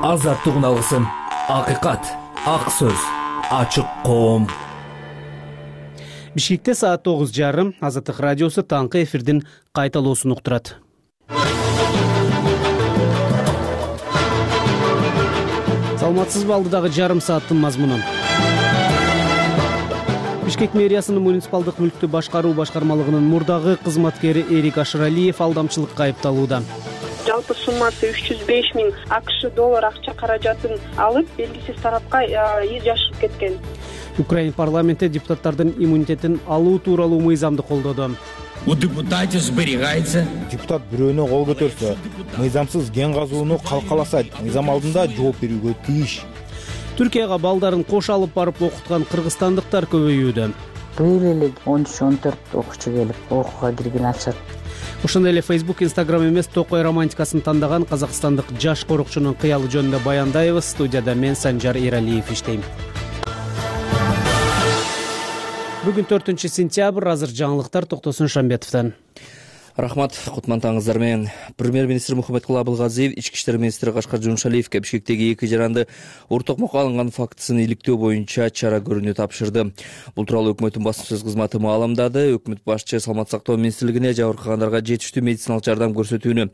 Азаттыгын алгысым, акыйкат, ак сөз, ачык коом. Бишкекте саат 9:30 Азаттык радиосу таңкы эфирдин кайталоосун уктурат. Саламатсызбы, алдыдагы жарым сааттын мазмуну. Бишкек мэриясынын муниципалдык мүлктү башкаруу башкармалыгынын мурдагы кызматкери Эрик Ашыралиев алдамчылыкка айыпталууда. Жалпы суммасы 305 000 АКШ доллар акча каражатын алып, белгисиз тарапка жашырып кеткен. Украина парламенти депутаттардын иммунитетин алуу тууралуу мыйзамды колдоду. У депутатов сберегается. Депутат бирөөнө кол көтөрсө, мыйзамсыз кен казууну калкаласа, мыйзам алдында жооп берүүгө тийиш. Түркияга балдарын кош алып барып окуткан кыргызстандыктар көбөйүүдө. Быйыл эле 13-14 окуучу келип окууга кирген атышат. Ошондой эле Facebook, Instagram эмес, токой романтикасын тандаган казакстандык жаш корукчунун кыялы жөнүндө баяндайбыз. Студияда мен Санжар Эралиев иштейм. Бүгүн 4-сентябрь, азыр жаңылыктар Токтосун Шамбетовдон. Рахмат, кутмантаңыздар менен. Премьер-министр Мухаммедкулы Абылгазиев ички иштер министри Кашкар Жумшалиевке Бишкектеги 2 жаранды ортокмокко алынган фактысын иликтөө боюнча чара көрүүнү тапшырды. Бул тууралуу өкмөттүн басма сөз кызматы маалымдады. Өкмөт башчы Саламат сактоо министрлигине жабыркагандарга жетиштүү медициналык жардам көрсөтүүнү,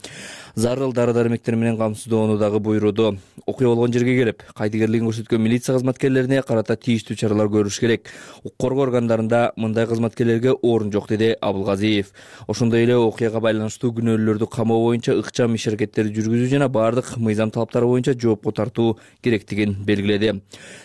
зарыл дары-дармектер менен камсыздоону дагы буйруду. Окуя болгон жерге келип, кайдыгерлигин көрсөткөн милиция кызматкерлерине карата тийиштүү чаралар көрүш керек. Укук коргоо органдарында мындай кызматкерлерге орун жок, деди Абылгазиев. Ошондой эле окуяга байланыштуу күнөөлүүлөрдү камоо боюнча ыкчам иш аракеттерди жүргүзүү жана бардык мыйзам талаптары боюнча жоопко тартуу керектигин белгиледи.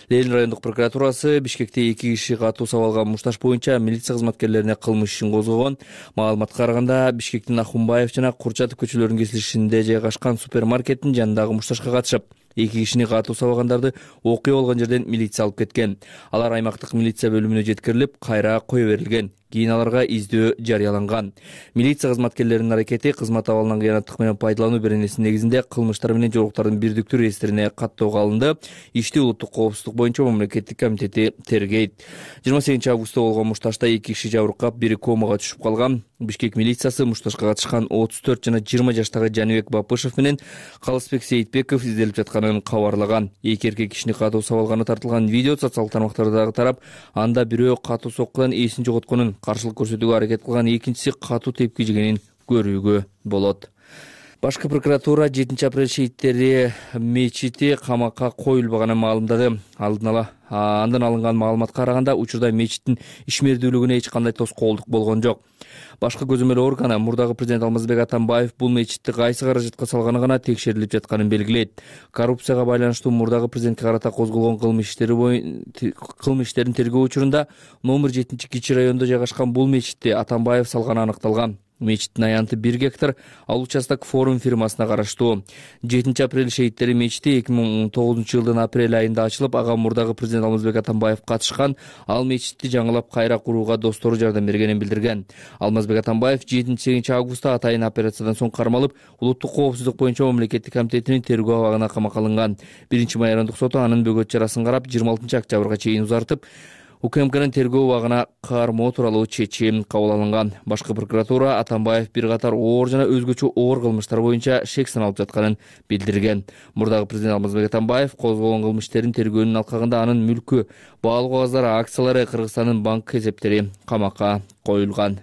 Ленин райондук прокуратурасы Бишкекте 2 киши катуу сабалган мушташ боюнча милиция кызматкерлерине кылмыш ишин козгогон. Маалыматка караганда, Бишкектин Ахунбаев жана Курчатов көчөлөрүнүн кесилишинде жайгашкан супермаркеттин жанындагы мушташка катышып, 2 кишини катуу сабагандарды окуя болгон жерден милиция алып кеткен. Алар аймактык милиция бөлүмүнө жеткирилип, кайра кое берилген. Кийин аларга издөө жарыяланган. Милиция кызматкерлеринин аракети кызмат абалынан кыянаттык менен пайдалануу беренесинин негизинде кылмыштар менен жоолуктардын бирдиктүү реестрине каттоого алынды. Ишти улуттук коопсуздук боюнча мамлекеттик комитети тергейт. 28 августта болгон мушташта 2 киши жабыркап, бири комага түшүп калган. Бишкек милициясы мушташка катышкан 34 жана 20 жаштагы Жаныбек Бапышев менен Калысбек Сейитбеков изделип жатканын кабарлаган. 2 эркек кишини катуу сабалганы тартылган видео социалдык тармактарда тарап, анда бирөө катуу соккудан эсин жоготконун, каршылык көрсөтүүгө аракет кылган, экинчиси катуу тепки жегенин көрүүгө болот. Башкы прокуратура 7 апрель шейиттери мечити камакка коюлбаганын маалымдады. Андан алынган маалыматка караганда, учурда мечиттин ишмердүүлүгүнө эч кандай тоскоолдук болгон жок. Башкы көзөмөл органы мурдагы президент Алмазбек Атамбаев бул мечитти кайсы каражатка салганы гана текшерилип жатканын белгилейт. Коррупцияга байланыштуу мурдагы президентке карата козголгон кылмыш иштерин тергөө учурунда номер 7-кичи райондо жайгашкан бул мечитти Атамбаев салганы аныкталган. Мечиттин аянты 1 гектар, ал участок форум фирмасына караштуу. 7 апрель шейиттери мечити 2019 жылдын апрель айында ачылып, ага мурдагы президент Алмазбек Атамбаев катышкан. Ал мечитти жаңылап кайра курууга достору жардам бергенин билдирген. Алмазбек Атамбаев 7 августта атайын операциядан соң кармалып, улуттук коопсуздук боюнча мамлекеттик комитетинин тергөө абагына камакка алынган. 1-май айрандык соту анын бөгөт чарасын карап, 26 октябрга чейин узартып, УКМКнын тергөө убагына кармоо тууралуу чечим кабыл алынган. Башкы прокуратура Атамбаев бир катар оор жана өзгөчө оор кылмыштар боюнча шек саналып жатканын билдирген. Мурдагы президент Алмазбек Атамбаев козголгон кылмыштерин тергөөнүн алкагында анын мүлкү, баалуу кагаздары, акциялары, Кыргызстандын банк эсептери камакка коюлган.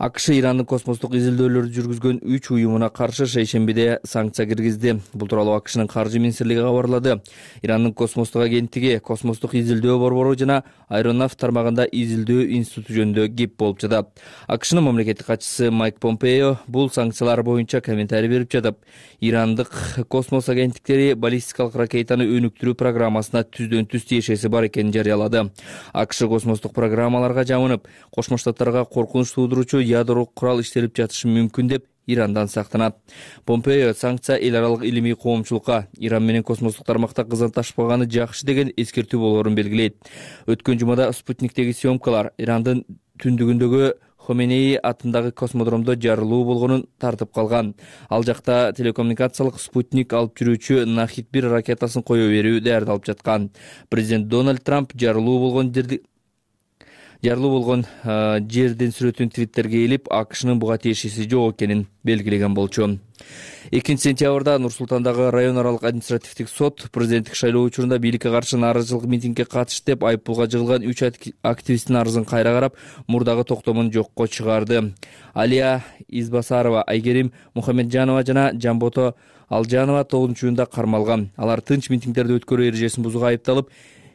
АКШ Ирандын космостук изилдөөлөрдү жүргүзгөн 3 уюмуна каршы шейшембиде санкция киргизди. Бул тууралуу АКШнын каржы министрлиги кабарлады. Ирандын космостук агенттиги, космостук изилдөө борбору жана аэронавт тармагында изилдөө институту жөнүндө кеп болуп жатат. АКШнын мамлекеттик катчысы Майк Помпео бул санкциялар боюнча комментарий берип жатып, Ирандык космос агенттиктери баллистикалык ракетаны өнүктүрүү программасына түздөн-түз тиешеси бар экенин жарыялады. АКШ космостук программаларга жабынып, Кошмо Штаттарга коркунуч туудуруучу ядро курал иштелип жатышы мүмкүн деп Ирандан сактанат. Помпео санкция эл аралык илимий коомчулукка Иран менен космостук тармакта кызматташпаганы жакшы деген эскертүү болоорун белгилейт. Өткөн жумада Спутниктеги съемкалар Ирандын түндүгүндөгү Хоменей атындагы космодромдо жарылуу болгонун тартып калган. Ал жакта телекоммуникациялык спутник алып жүрүүчү Нахид-1 ракетасын кое берүү даярдалып жаткан. Президент Дональд Трамп жарылуу болгон Жарылуу болгон жердин сүрөтүн Твиттерге илип, АКШнын буга тиешеси жок экенин белгилеген болчу. 2 сентябрда Нур-Султандагы район аралык административдик сот президенттик шайлоо учурунда бийликке каршы нааразычылык митингге катышты деп айыппулга жыгылган 3 активисттин арызын кайра карап, мурдагы токтомун жокко чыгарды. Алия Избасарова, Айгерим Мухамеджанова жана Жамбото Алжанова 9-июнда кармалган. Алар тынч митингдерди өткөрүү эрежесин бузууга айыпталып,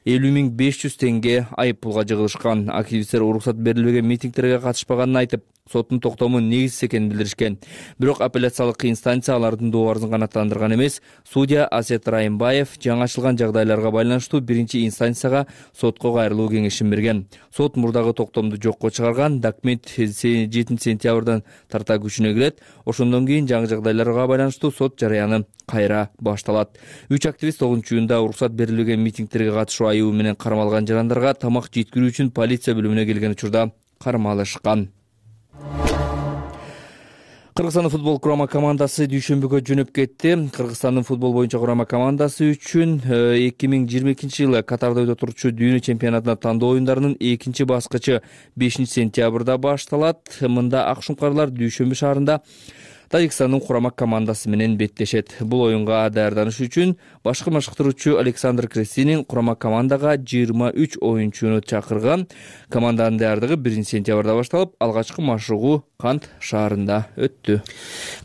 50.500 теңге айыппулга жыгылышкан. Активисттер уруксат берилбеген митингдерге катышпаганын айтып, соттун токтому негизсиз экенин билдиришкен. Бирок апелляциялык инстанция алардын доо арызын канааттандырган эмес. Судья Асет Райымбаев жаңы ачылган жагдайларга байланыштуу биринчи инстанцияга сотко кайрылуу кеңешин берген. Сот мурдагы токтомду жокко чыгарган. Документ 7 сентябрдан тарта күчүнө кирет. Ошондон кийин жаңы жагдайларга байланыштуу сот жарыяны кайра башталат. 3 активист 9-июнда уруксат берилбеген митингдерге катышуу айыбы менен кармалган жарандарга тамак жеткирүү үчүн полиция бөлүмүнө келген учурда кармалышкан. Кыргызстандын футбол курама командасы дүйшөмбүгө жөнөп кетти. Кыргызстандын футбол боюнча курама командасы үчүн 2022-жылы Катарда өтө турчу дүйнө чемпионатына тандоо оюндарынын 2 баскычы 5 сентябрда башталат. Мында ак шуңкарлар дүйшөмбү шаарында Тажикстандын курама командасы менен беттешет. Бул оюнга даярданыш үчүн башкы машыктыруучу Александр Крестинин курама командага 23 оюнчуну чакырган. Команданын даярдыгы 1 сентябрда башталып, алгачкы машыгуу Кант шаарында өттү.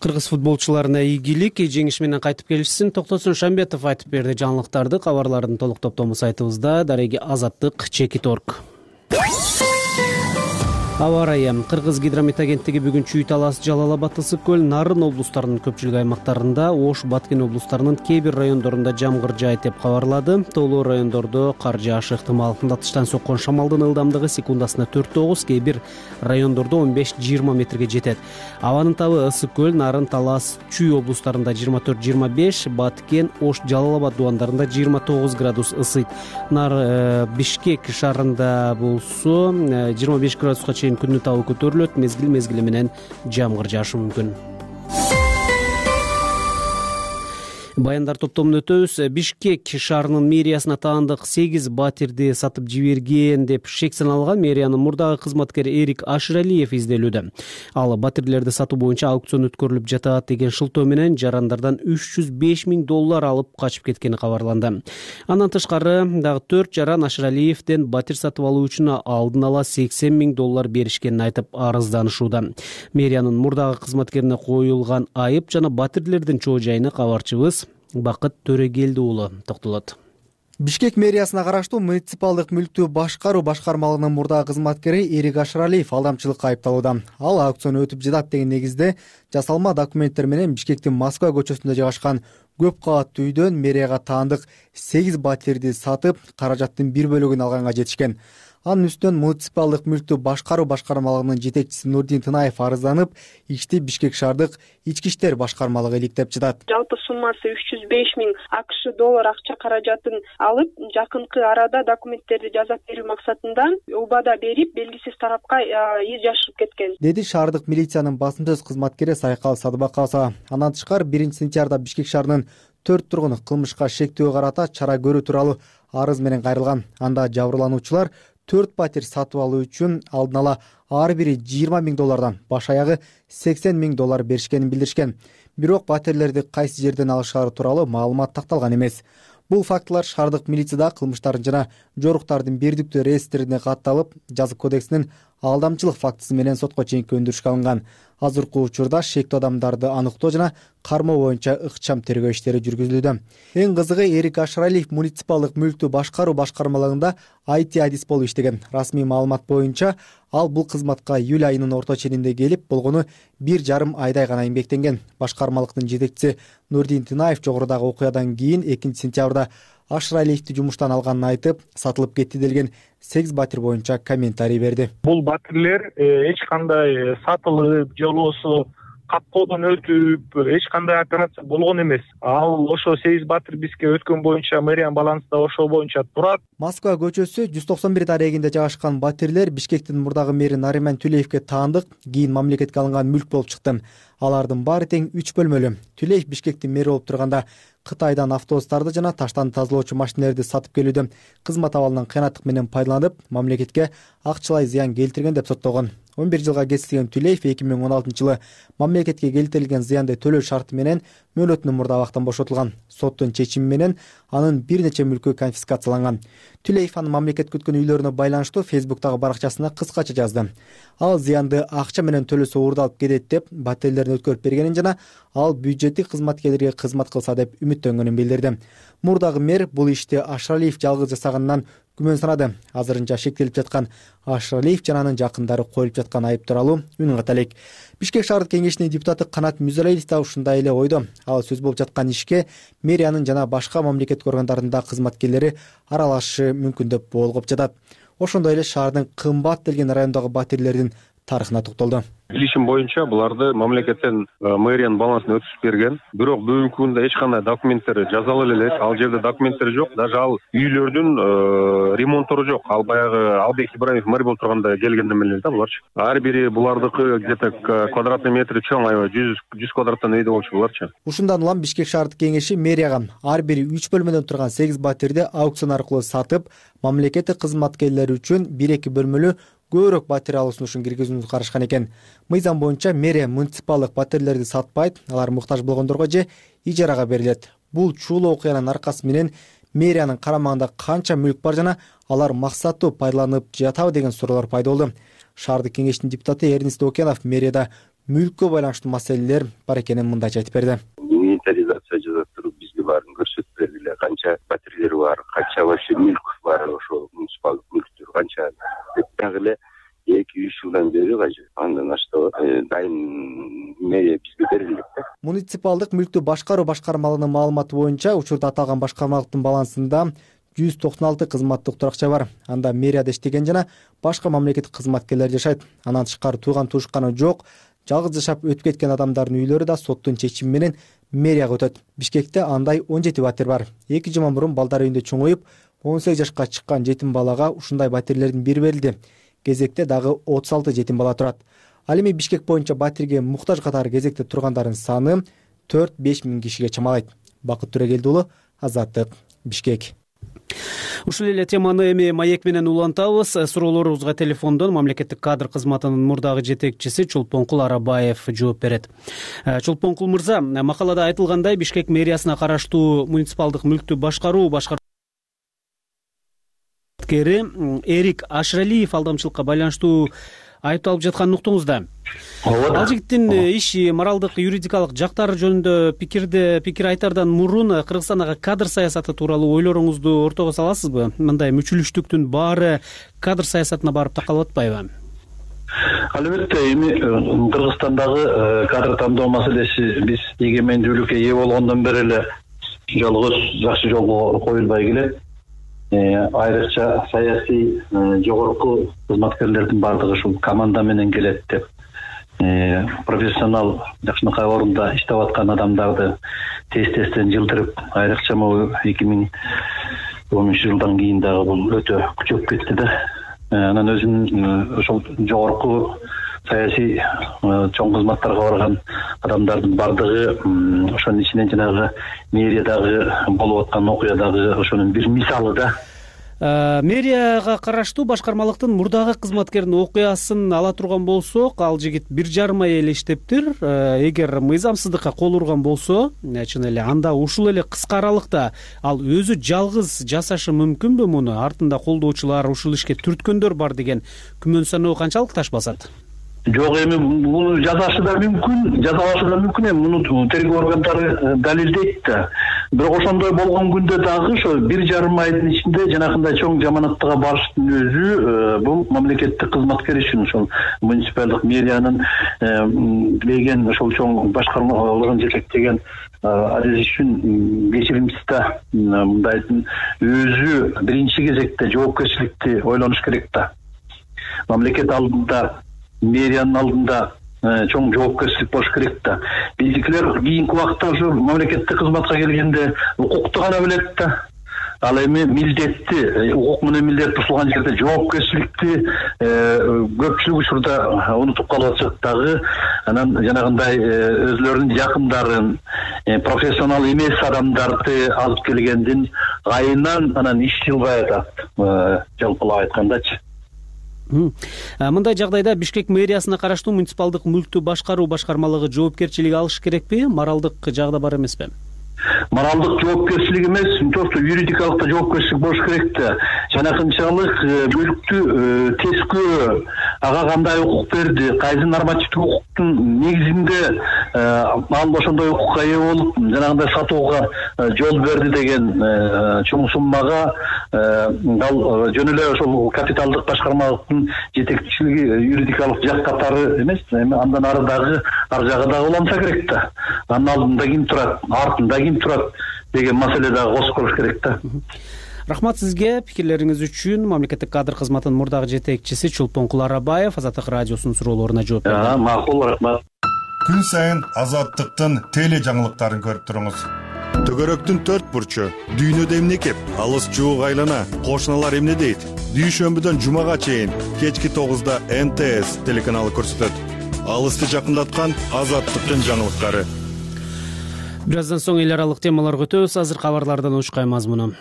Кыргыз футболчуларына ийгилик, жеңиш менен кайтып келишсин. Токтосун Шамбетов айтып берди жаңылыктарды. Кабарлардын толук топтому сайтыбызда. Дареги Азаттык, Чекит.орг. Аба ырайы. Кыргыз гидромет агенттиги бүгүн Чүй, Талас, Жалал Абад, Ысык көл, Нарын облустарынын көпчүлүк аймактарында, Ош, Баткен облустарынын кээ бир райондорунда жамгыр жаайт деп кабарлады. Тоолуу райондордо кар жаашы ыктымал. Тыштан соккон шамалдын ылдамдыгы секундасына 4-9, кээ бир райондордо 15-20 метрге жетет. Абанын табы Ысык көл, Нарын, Талас, Чүй облустарында 24-25, Баткен, Ош, Жалал Абад дубандарында 29 градус ысыйт. Бишкек шаарында болсо 25 градуска күндүн табы көтөрүлөт, мезгил менен жамгыр жаашы мүмкүн. Баяндар топтомун өтөбүз. Бишкек шаарынын мэриясына таандык 8 батирди сатып жиберген деп шек саналган мэриянын мурдагы кызматкери Эрик Аширалиев изделүүдө. Ал батирлерди сатуу боюнча аукцион өткөрүлүп жатат деген шылтоо менен жарандардан $305,000 алып качып кеткени кабарланды. Андан тышкары дагы 4 жаран Аширалиевден батир сатып алуу үчүн алдын ала $80,000 беришкенин айтып арызданышууда. Мэриянын мурдагы кызматкерине коюлган айып жана батирлердин чоо жайына кабарчыбыз Бакыт Төрегелди уулу токтолот. Бишкек мэриясына караштуу муниципалдык мүлктү башкаруу башкармалыгынын мурдагы кызматкери Эрик Аширалиев алдамчылыкка айыпталууда. Ал аукцион өтүп жатат деген негизде жасалма документтер менен Бишкектин Москва көчөсүндө жайгашкан көп кабаттуу үйдөн мэрияга таандык 8 батирди сатып, каражаттын бир бөлүгүн алганга жетишкен. Анын үстүнөн муниципалдык мүлктү башкаруу башкармалыгынын жетекчиси Нурдин Тынаев арызданып, ишти Бишкек шаардык ички иштер башкармалыгы иликтеп жатат. Жалпы суммасы $305,000 акча каражатын алып, жакынкы арада документтерди жазап берүү максатында убада берип, белгисиз тарапка из жашырып кеткен, деди шаардык милициянын басым сөз кызматкери Сайкал Садыбакасова. Андан тышкары 1 сентябрда Бишкек шаарынын 4 тургуну кылмышка шектөө карата чара көрүү тууралуу арыз менен кайрылган. Анда жабырлануучулар 4 батир сатып алуу үчүн алдын ала ар бири $20,000, баш аягы $80,000 беришкенин билдиришкен. Бирок батирлерди кайсы жерден алышары тууралуу маалымат такталган эмес. Бул фактылар шаардык милицияда кылмыштардын жана жоруктардын бирдиктүү реестрине катталып, жазык кодексинин алдамчылык фактысы менен сотко чейинки өндүрүшкө алынган. Азыркы учурда шектүү адамдарды аныктоо жана кармоо боюнча ыкчам тергөө иштери жүргүзүлүүдө. Эң кызыгы Эрик Аширалиев муниципалдык мүлктү башкаруу башкармалыгында IT адис болуп иштеген. Расмий маалымат боюнча ал бул кызматка июль айынын орто ченинде келип, болгону 1,5 айдай гана эмгектенген. Башкармалыктын жетекчиси Нурдин Тынаев жогорудагы окуядан кийин 2 сентябрда Аширалиевди жумуштан алганын айтып, сатылып кетти делген 8 батир боюнча комментарий берди. Бул батирлер эч кандай сатылып же болбосо каткоодон өтүп эч кандай операция болгон эмес. Ал ошо Сегиз Батир бизге өткөн боюнча мэриянын балансында ошол боюнча турат. Москва көчөсү 191 дарегинде жайгашкан батирлер Бишкектин мурдагы мэри Нариман Түлеевге таандык, кийин мамлекетке алынган мүлк болуп чыкты. Алардын баары тең 3 бөлмөлүү. Түлеев Бишкектин мэри болуп турганда Кытайдан автобустарды жана таштан тазалоочу машинелерди сатып келүүдө кызмат абалынан кыянаттык менен пайдаланып, мамлекетке акчалай зыян келтирген деп соттолгон. 11 жылга кетирилген Түлеев 2016 жылы мамлекетке келтирилген зыянды төлөө шарты менен мөөнөтүнөн мурда абактан бошотулган. Соттун чечими менен анын бир нече мүлкү конфискацияланган. Түлеев анын мамлекет күткөн үйлөрүнө байланыштуу Фейсбуктагы баракчасына кыскача жазды. Ал зыянды акча менен төлөсө уурдалып кетет деп батирлерин өткөрүп бергенин жана ал бюджеттик кызматкерлерге кызмат кылса деп үмүттөнгөнүн билдирди. Мурдагы мэр бул ишти Ашралиев жалгыз жасаганынан күмөн санады. Азырынча шектелип жаткан Ашралиев жана анын жакындары коюлуп жаткан айып тууралуу үн ката элек. Бишкек шаардык кеңешинин депутаты Канат Мүзалиев да ушундай эле ойдо. Ал сөз болуп жаткан ишке мэриянын жана башка мамлекеттик органдарында кызматкерлери аралашышы мүмкүн деп болгоп жатат. Ошондой эле шаардын кымбат делген райондогу батирлердин тарыхына токтолду. Билишим боюнча буларды мамлекеттен мэриянын балансына өткүзүп берген. Бирок бүгүнкү күндө эч кандай документтери жазылып эле. Ал жерде документтери жок. Даже ал үйлөрдүн ремонттору жок. Ал баягы Албек Ибраимов мэр болуп турганда келгенден эле да буларчы. Ар бири булардыкы где-то квадратный метри чоң, аябай 100 квадраттан үйдө болчу буларчы. Ушундан улам Бишкек шаардык кеңеши мэрияга ар бири 3 бөлмөдөн турган 8 батирди аукцион аркылуу сатып, мамлекеттик кызматкерлер үчүн 1-2 бөлмөлүү көбүрөөк батир алуу сунушун киргизүүнү карашкан экен. Мыйзам боюнча мэрия муниципалдык батирлерди сатпайт, алар муктаж болгондорго же ижарага берилет. Бул чуулуу окуянын аркасы менен мэриянын карамагында канча мүлк бар жана алар максаттуу пайдаланып жатабы деген суроолор пайда болду. Шаардык кеңештин депутаты Эрнест Окенов мэрияда мүлккө байланыштуу маселелер бар экенин мындайча айтып берди. Инвентаризация жасап туруп бизге баарын көрсөтүп бергиле. Канча батирлер бар, канча вообще мүлк бар, ошо муниципалдык мүлктөр канча деп дагы эле 2-3 жылдан бери кажы. Андан ашты дайын мэрия бизге берилет да. Муниципалдык мүлктү башкаруу башкармалыгынын маалыматы боюнча учурда аталган башкармалыктын балансында 196 кызматтык туракча бар. Анда мэрияда иштеген жана башка мамлекеттик кызматкерлер жашайт. Анан тышкары тууган туушканы жок. Жалгыз жашап өтүп кеткен адамдардын үйлөрү да соттун чечими менен мэрияга өтөт. Бишкекте андай 17 батир бар. 2 жыл мурун балдар үйүндө чоңоюп, 18 жашка чыккан жетим балага ушундай батирлердин бири берилди. Кезекте дагы 36 жетим бала турат. Ал эми Бишкек боюнча батирге муктаж катары кезекте тургандардын саны 4-5 миң кишиге чамалайт. Бакыт Төрөгелди уулу, Азаттык, Бишкек. Ушул эле теманы эми маек менен улантабыз. Суроолорубузга телефондон мамлекеттик кадр кызматынын мурдагы жетекчиси Чолпонкул Арабаев жооп берет. Чолпонкул мырза, макалада айтылгандай Бишкек мэриясына караштуу муниципалдык мүлктү башкаруу Эрик Ашралиев алдамчылыкка байланыштуу айыпталып жатканын уктуңуз да. Ал жигиттин иши моралдык, юридикалык жактары жөнүндө пикир айтардан мурун Кыргызстандагы кадр саясаты тууралуу ойлоруңузду ортого саласызбы? Мындай мүчүлүштүктүн баары кадр саясатына барып такалып атпайбы? Албетте, эми Кыргызстандагы кадр тандоо маселеси биз эгемендүүлүккө ээ болгондон бери эле жалгыз жакшы жолго коюлбай келет. Айрыкча саясий жогорку кызматкерлердин баардыгы ушул команда менен келет деп профессионал жакшынакай орунда иштеп аткан адамдарды тез-тезден жылдырып, айрыкча могу 2010 жылдан кийин дагы бул өтө күчөп кетти да. Анан өзүнүн ошол жогорку саясий чоң кызматтарга барган адамдардын баардыгы ошонун ичинен жанагы мэриядагы болуп аткан окуядагы ошонун бир мисалы да. Мэрияга караштуу башкармалыктын мурдагы кызматкеринин окуясын ала турган болсок, ал жигит 1,5 ай эле иштептир. Эгер мыйзамсыздыкка кол урган болсо, чын эле анда ушул эле кыска аралыкта ал өзү жалгыз жасашы мүмкүнбү муну? Артында колдоочулар, ушул ишке түрткөндөр бар деген күмөн саноо канчалык таш басат? Жок, эми муну жазашы да мүмкүн, жазалашы да мүмкүн, эми муну тергөө органдары далилдейт да. Бирок ошондой болгон күндө дагы ошо 1,5 айдын ичинде жанакындай чоң жаманаттыга барыштын өзү бул мамлекеттик кызматкер үчүн, ошол муниципалдык мэриянын билеген ошол чоң башкармалыгын жетектеген Азиз үчүн кечиримсиз да. Мындайдын өзү биринчи кезекте жоопкерчиликти ойлонуш керек да. Мамлекет алдында, мэриянын алдында чоң жоопкерчилик болуш керек да. Биздикилер кийинки убакта ушу мамлекеттик кызматка келгенде укукту гана билет да. Ал эми милдетти, укук менен милдет бузулган жерде жоопкерчиликти көпчүлүк учурда унутуп калып атышат дагы. Анан жанагындай өзлөрүнүн жакындарын, профессионал эмес адамдарды алып келгендин айынан анан иш жылбай атат, жалпылап айткандачы. Мындай жагдайда Бишкек мэриясына караштуу муниципалдык мүлктү башкаруу башкармалыгы жоопкерчилик алыш керекпи? Моралдык жагда бар эмеспи? Моралдык жоопкерчилик эмес, просто юридикалык да жоопкерчилик болуш керек да. Жанакынчалык мүлктү тескөө, ага кандай укук берди, кайсы нормативдик укуктун негизинде ал ошондой укукка ээ болуп, жанагындай сатууга жол берди деген чоң суммага ал жөн эле ошол капиталдык башкармалыктын жетекчилиги юридикалык жак катары эмес, эми андан ары дагы ар жагы дагы уланса керек да. Анын алдында ким турат, артында ким турат деген маселе дагы косуп коюш керек да. Рахмат сизге пикирлериңиз үчүн. Мамлекеттик кадр кызматынын мурдагы жетекчиси Чулпонкул Арабаев Азаттык радиосунун суроолоруна жооп берди. Макул, рахмат. Күн сайын Азаттыктын теле жаңылыктарын көрүп туруңуз. Төгөрөктүн төрт бурчу, дүйнөдө эмне кеп, алыс жуук айлана, кошуналар эмне дейт? Дүйшөмбүдөн жумага чейин кечки 9-да НТС телеканалы көрсөтөт. Алысты жакындаткан Азаттыктын жаңылыктары. Бир аздан соң эл аралык темаларга өтөбүз. Азыр кабарлардан учкай мазмуну.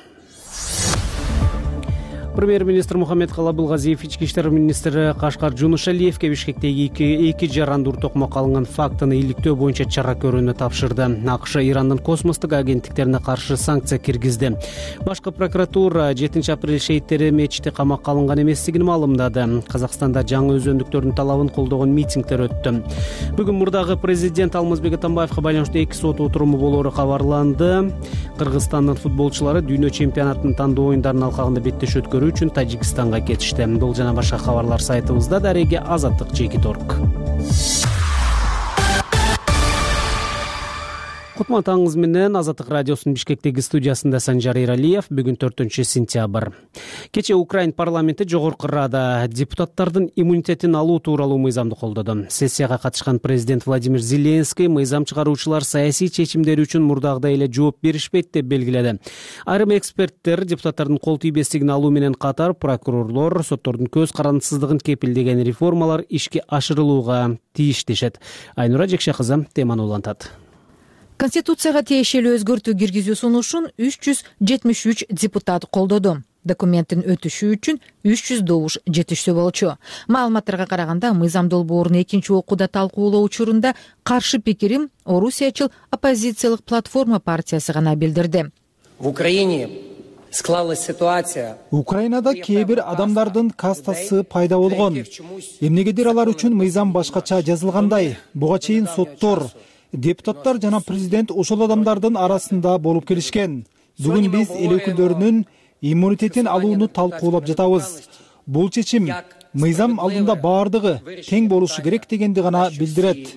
Премьер-министр Мухаммед Калабылгазиев ички иштер министри Кашкар Жунушалиевке Бишкектеги эки жаранды уртокмокко алынган фактыны иликтөө боюнча чара көрүүнү тапшырды. АКШ Ирандын космостук агенттиктерине каршы санкция киргизди. Башкы прокуратура 7-апрель шейиттери мечити камакка алынган эместигин маалымдады. Казакстанда жаңы өзөндүктөрдүн талабын колдогон митингдер өттү. Бүгүн мурдагы президент Алмазбек Атамбаевга байланыштуу 2 сот отуруму болоору кабарланды. Кыргызстандын футболчулары дүйнө чемпионатынын тандоо оюндарынын алкагында беттеш өткөрүү үчүн Тажикстанга кетишти. Бул жана башка кабарлар сайтыбызда. Дареге Азаттык.org. Кутман таңыңыз менен Азаттык радиосунун Бишкектеги студиясында Санжар Иралиев. Бүгүн 4-сентябрь. Кече Украин парламенти Жогорку Рада депутаттардын иммунитетин алуу тууралуу мыйзамды колдоду. Сессияга катышкан президент Владимир Зеленский мыйзам чыгаруучулар саясий чечимдери үчүн мурдагыдай эле жооп беришпейт деп белгиледи. Айрым эксперттер депутаттардын кол тийбестигин алуу менен катар прокурорлор соттордун көз карандысыздыгын кепилдеген реформалар ишке ашырылууга тийиш дешет. Айнура Жекше кызы теманы улантат. Конституцияга тиешелүү өзгөртүү киргизүү сунушун 373 депутат колдоду. Документтин өтүшү үчүн 300 добуш жетишсе болчу. Маалыматтарга караганда, мыйзам долбоорун экинчи окууда талкуулоо учурунда каршы пикирин Орусиячыл оппозициялык платформа партиясы гана билдирди. В Украине склалась ситуация. Украинада кээ бир адамдардын кастасы пайда болгон. Эмнегедир алар үчүн мыйзам башкача жазылгандай. Буга чейин соттор, депутаттар жана президент ошол адамдардын арасында болуп келишкен. Бүгүн биз эл өкүлдөрүнүн иммунитетин алууну талкуулап жатабыз. Бул чечим мыйзам алдында баардыгы тең болушу керек дегенди гана билдирет.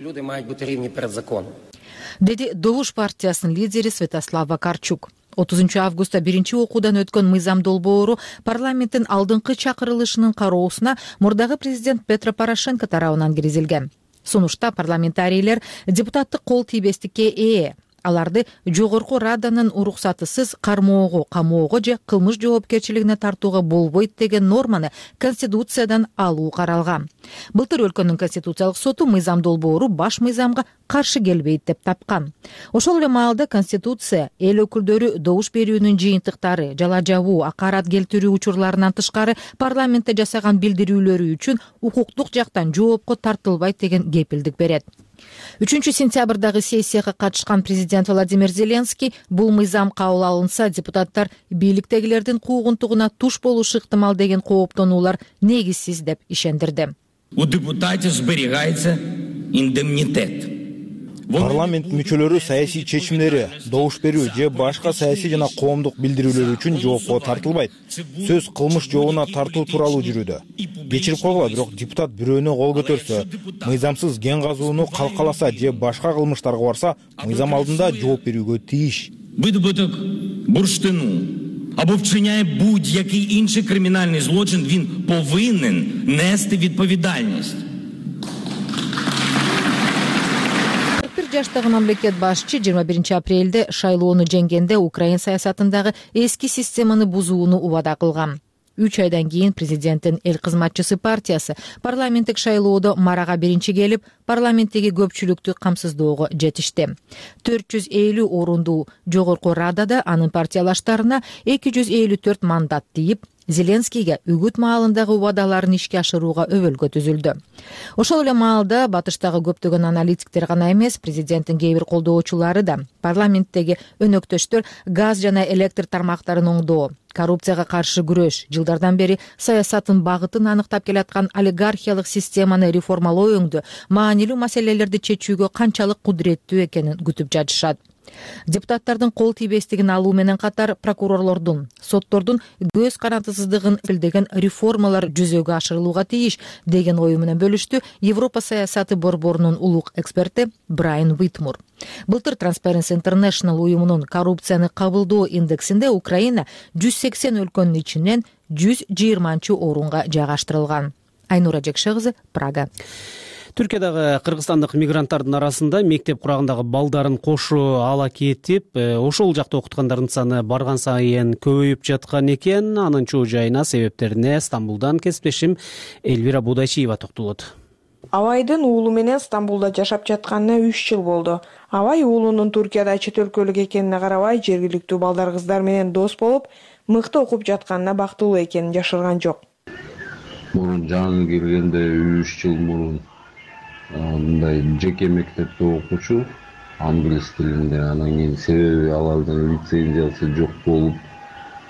Деди Добуш партиясынын лидери Святослав Вакарчук. 30 августта биринчи окуудан өткөн мыйзам долбоору парламенттин алдыңкы чакырылышынын кароосуна мурдагы президент Петро Порошенко тарабынан киргизилген. Сунушта парламентарийлер депутаттык кол тийбестикке ээ. Аларды Жогорку Раданын уруксатысыз кармоого, камоого же кылмыш жоопкерчилигине тартууга болбойт деген норманы Конституциядан алуу каралган. Былтыр өлкөнүн Конституциялык соту мыйзам долбоору баш мыйзамга каршы келбейт деп тапкан. Ошол эле маалда Конституция эл өкүлдөрү добуш берүүнүн жыйынтыктары, жала жабуу, акарат келтирүү учурларынан тышкары парламентте жасаган билдирүүлөрү үчүн укуктук жактан жоопко тартылбайт деген кепилдик берет. 3-сентябрдагы сессияга катышкан президент Владимир Зеленский бул мыйзам кабыл алынса, депутаттар бийликтегилердин куугунтугуна туш болушу ыктымал деген кооптонуулар негизсиз деп ишендирди. У депутатов сберегается индемнитет. Парламент мүчөлөрү саясий чечимдери, добуш берүү же башка саясий жана коомдук билдирүүлөр үчүн жоопко тартылбайт. Сөз кылмыш жообуна тартуу тууралуу жүрүүдө. Кечирип койгула, бирок депутат бирөөнө кол көтөрсө, мыйзамсыз кен казууну калкаласа же башка кылмыштарга барса, мыйзам алдында жооп берүүгө тийиш. Видобуток бурштину або вчиняє будь-який інший кримінальний злочин, він повинен нести відповідальність. жаштагы мамлекет башчы 21 апрелде шайлоону жеңгенде Украина саясатындагы эски системаны бузууну убада кылган. 3 айдан кийин президенттин эл кызматчысы партиясы парламенттик шайлоодо марага биринчи келип, парламенттеги көпчүлүктү камсыздоого жетишти. 450 орундуу жогорку радада анын партиялаштарына 254 мандат тийип, Зеленскийге үгүт маалындагы убадаларын ишке ашырууга өбөлгө түзүлдү. Ошол эле маалда батыштагы көптөгөн аналитиктер гана эмес, президенттин кээ бир колдоочулары да парламенттеги өнөктөштөр газ жана электр тармактарын оңдоо, коррупцияга каршы күрөш, жылдардан бери саясаттын багытын аныктап келаткан олигархиялык системаны реформалоо өңдө маанилүү маселелерди чечүүгө канчалык кудуреттүү экенин күтүп жатышат. Депутаттардын кол тийбестигин алуу менен катар прокурорлордун, соттордун көз карандысыздыгын билдеген реформалар жүзөгө ашырылууга тийиш деген ою менен бөлүштү Европа саясаты борборунун улук эксперти Брайан Уитмур. Былтыр Transparency International уюмунун коррупцияны кабылдоо индексинде Украина 180 өлкөнүн ичинен 120 орунга жайгаштырылган. Айнура Жекше кызы, Прага. Түркиядагы кыргызстандык мигранттардын арасында мектеп курагындагы балдарын кошо ала кетип, ошол жакта окуткандардын саны барган сайын көбөйүп жаткан экен. Анын чоо жайына, себептерине Стамбулдан кесиптешим Элвира Будайчиева токтолот. Авайдын уулу менен Стамбулда жашап жатканына 3 жыл болду. Авай уулунун Туркияда чет өлкөлүк экенине карабай, жергиликтүү балдар кыздар менен дос болуп, мыкты окуп жатканына бактылуу экенин жашырган жок. Мурун жаңы киргенде 3 жыл мурун мындай жеке мектепте окуучу, англис тилинде, анан кийин себеби алардын лицензиясы жок болуп,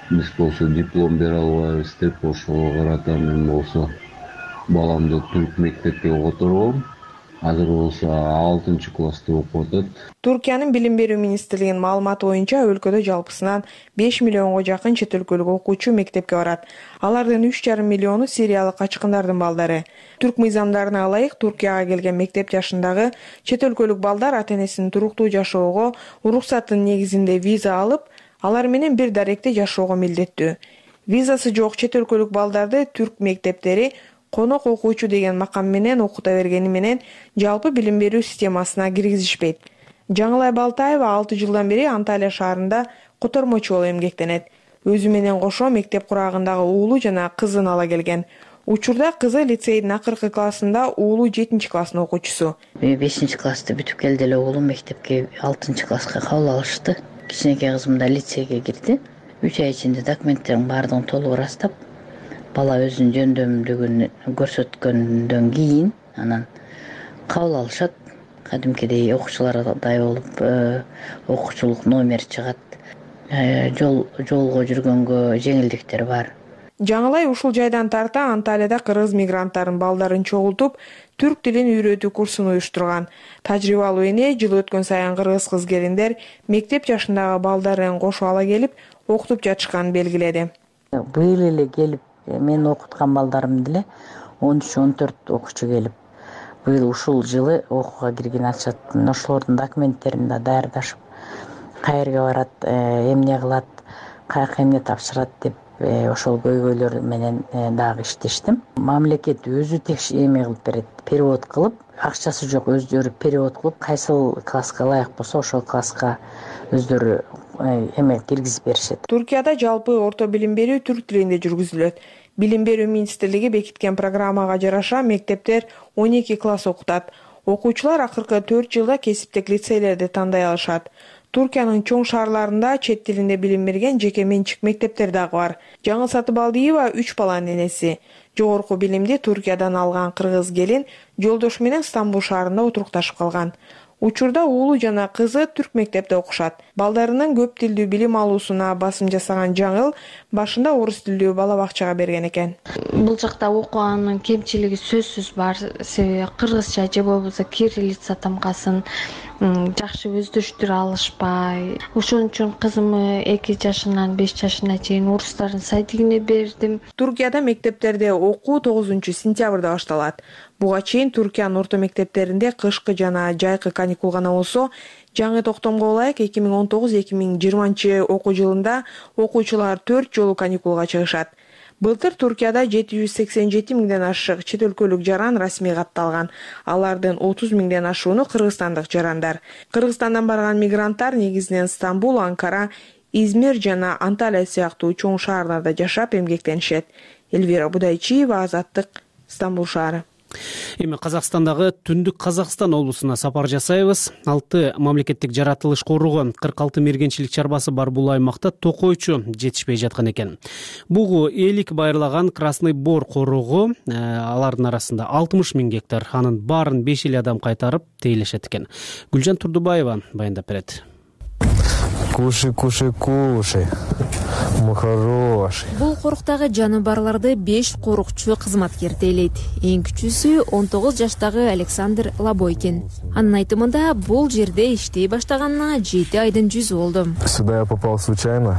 биз болсо диплом бере албайбыз деп ошого карата мен болсо баламды түрк мектепке которгом. Азыр болсо 6-класста окуп атат. Туркиянын билим берүү министрлигинин маалыматы боюнча өлкөдө жалпысынан 5 миллионго жакын чет өлкөлүк окуучу мектепке барат. Алардын 3,5 миллиону сириялык качкындардын балдары. Түрк мыйзамдарына ылайык Туркияга келген мектеп жашындагы чет өлкөлүк балдар ата-энесинин туруктуу жашоого уруксаттын негизинде виза алып, алар менен бир даректе жашоого милдеттүү. Визасы жок чет өлкөлүк балдарды түрк мектептери конок окуучу деген макам менен окута бергени менен жалпы билим берүү системасына киргизишпейт. Жаңылай Балтаева 6 жылдан бери Анталия шаарында котормочу болуп эмгектенет. Өзү менен кошо мектеп курагындагы уулу жана кызын ала келген. Учурда кызы лицейдин акыркы классында, уулу 7-класстын окуучусу. 5-классты бүтүп келди эле уулум мектепке 6-класска кабыл алышты. Кичинекей кызым да лицейге кирди. 3 ай ичинде документтерин баардыгын толук ырастап, бала өзүнүн жөндөмдүгүн көрсөткөндөн кийин анан кабыл алышат. Кадимкидей окуучулардай болуп, окуучулук номер чыгат. Жолго жүргөнгө жеңилдиктер бар. Жаңылай ушул жайдан тарта Анталияда кыргыз мигранттардын балдарын чогултуп, түрк тилин үйрөтүү курсун уюштурган. Тажрыйбалуу эне жыл өткөн сайын кыргыз кыз-келиндер мектеп жашындагы балдарын кошо ала келип, окутуп жатышканын белгиледи. Быйыл эле келип, мен окуткан балдарым деле 13-14 окуучу келип, быйыл ушул жылы окууга кирген атышат. Ошолордун документтерин да даярдашып, каерге барат, эмне кылат, каяка эмне тапшырат деп ошол көйгөйлөр менен дагы иштештим. Мамлекет өзү эме кылып берет, перевод кылып, акчасы жок өздөрү перевод кылып, кайсыл класска ылайык болсо ошол класска өздөрү эме киргизип беришет. Туркияда жалпы орто билим берүү түрк тилинде жүргүзүлөт. Билим берүү министрлиги бекиткен программага жараша мектептер 12 класс окутат. Окуучулар акыркы 4 жылда кесиптик лицейлерди тандай алышат. Туркиянын чоң шаарларында чет тилинде билим берген жеке менчик мектептер дагы бар. Жаңыл Сатыбалдиева 3 баланын энеси. Жогорку билимди Туркиядан алган кыргыз келин жолдошу менен Стамбул шаарында отурукташып калган. Учурда уулу жана кызы түрк мектепте окушат. Балдарынын көп тилдүү билим алуусуна басым жасаган Жаңыл башында орус тилдүү бала бакчага берген экен. Бул жакта окуганын кемчилиги сөзсүз бар. Себеби кыргызча же болбосо кириллица тамгасын жакшы өздөштүрө алышпай. Ошон үчүн кызымы 2 жашынан 5 жашына чейин орустардын сайтигине бердим. Туркияда мектептерде окуу 9-сентябрда башталат. Буга чейин Туркиянын орто мектептеринде кышкы жана жайкы каникул гана болсо, жаңы токтомго ылайык 2019-2020 окуу жылында окуучулар 4 жолу каникулга чыгышат. Былтыр Туркияда 787 миңден ашык чет өлкөлүк жаран расмий катталган. Алардын 30 миңден ашууну кыргызстандык жарандар. Кыргызстандан барган мигранттар негизинен Стамбул, Анкара, Измир жана Анталия сыяктуу чоң шаарларда жашап эмгектенишет. Элвира Будайчиева, Азаттык, Стамбул шаары. Эми Казакстандагы Түндүк Казакстан облусуна сапар жасайбыз. 6 мамлекеттик жаратылыш коругу 46 мергенчилик чарбасы бар бул аймакта токойчу жетишпей жаткан экен. Бугу элик байырлаган Красный Бор коругу, алардын арасында 60 миң гектар, анын баарын 5 эл адам кайтарып тейлешет экен. Гүлжан Турдубаева баяндап берет. Кушай, кушай, кушай. Мой хороший. Бул коруктагы жаныбарларды 5 корукчу кызматкер тейлейт. Эң кичүүсү 19 жаштагы Александр Лабойкин. Анын айтымында бул жерде иштей баштаганына 7 айдын жүзү болду. Сюда я попал случайно.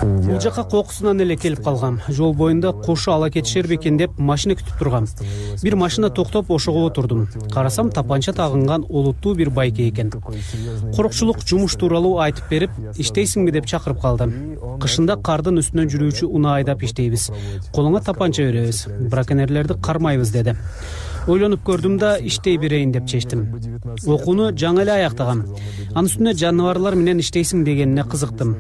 Бул жака кокусунан эле келип калгам. Жол боюнда кошу ала кетишер бекен деп машина күтүп тургам. Бир машина токтоп ошого отурдум. Карасам тапанча тагынган олуттуу бир байке экен. Корукчулук жумуш тууралуу айтып берип, иштейсиңби деп чакырып калды. Кышында кардын үстүнөн жүрүүчү унаа айдап иштейбиз. Колуңа тапанча беребиз. Браконьерлерди кармайбыз деди. Ойлонуп көрдүм да иштей берейин деп чечтим. Окууну жаңы эле аяктагам. Анын үстүнө жаныбарлар менен иштейсиң дегенине кызыктым.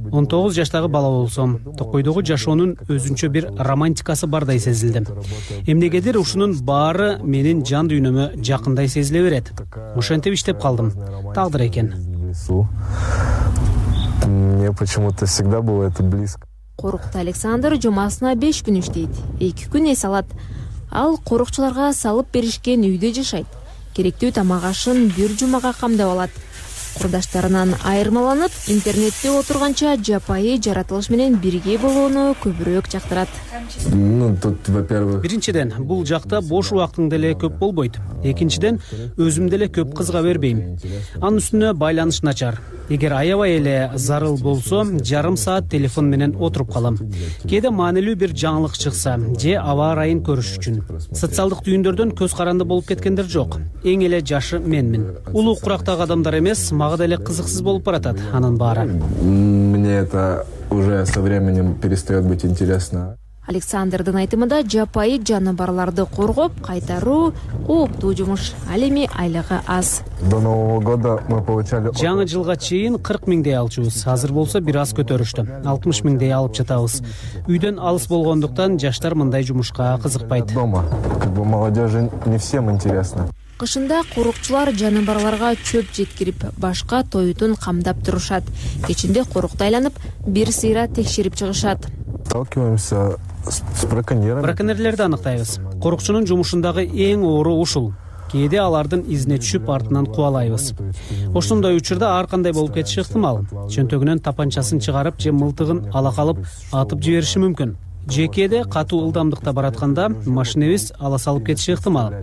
19 жаштагы бала болсом, токойдогу жашоонун өзүнчө бир романтикасы бардай сезилди. Эмнегедир ушунун баары менин жан дүйнөмө жакындай сезиле берет. Ошентип иштеп калдым. Тагдыр экен. Мне почему-то всегда было это близко. Корукта Александр жумасына 5 күн иштейт. 2 күн эс алат. Ал корукчуларга салып беришкен үйдө жашайт. Керектүү тамак ашын бир жумага камдап алат. Курдаштарынан айырмаланып, интернетте отурганча жапайы жаратылыш менен бирге болууну көбүрөөк жактырат. Биринчиден, бул жакта бош убактың деле көп болбойт. Экинчиден, өзүм деле көп кызга бербейм. Анын үстүнө байланыш начар. Эгер аябай эле зарыл болсо, жарым саат телефон менен отуруп калам. Кээде маанилүү бир жаңылык чыкса, же аба ырайын көрүш үчүн. Социалдык түйүндөрдөн көз каранды болуп кеткендер жок. Эң эле жашы менмин. Улуу курактагы адамдар эмес, мага деле кызыксыз болуп баратат анын баары. Мне это уже со временем перестает быть интересно. Александрдын айтымында жапайы жаныбарларды коргоп кайтаруу кооптуу жумуш. Ал эми айлыгы аз. До Нового года мы получали... Жаңы жылга чейин 40 миңдей алчубуз. Азыр болсо бир аз көтөрүштү. 60 миңдей алып жатабыз. Үйдөн алыс болгондуктан жаштар мындай жумушка кызыкпайт. Дома. Как бы молодежи не всем интересно. Кышында корукчулар жаныбарларга чөп жеткирип, башка тоютун камдап турушат. Кечинде корукта айланып, бир сыйра текшерип чыгышат. Сталкиваемся с браконьерами. Браконьерлерди аныктайбыз. Корукчунун жумушундагы эң оору ушул. Кээде алардын изине түшүп, артынан кубалайбыз. Ошондой учурда ар кандай болуп кетиши ыктымал. Чөнтөгүнөн тапанчасын чыгарып же мылтыгын ала калып атып жибериши мүмкүн. Жекеде катуу ылдамдыкта баратканда машинебиз ала салып кетиши ыктымал.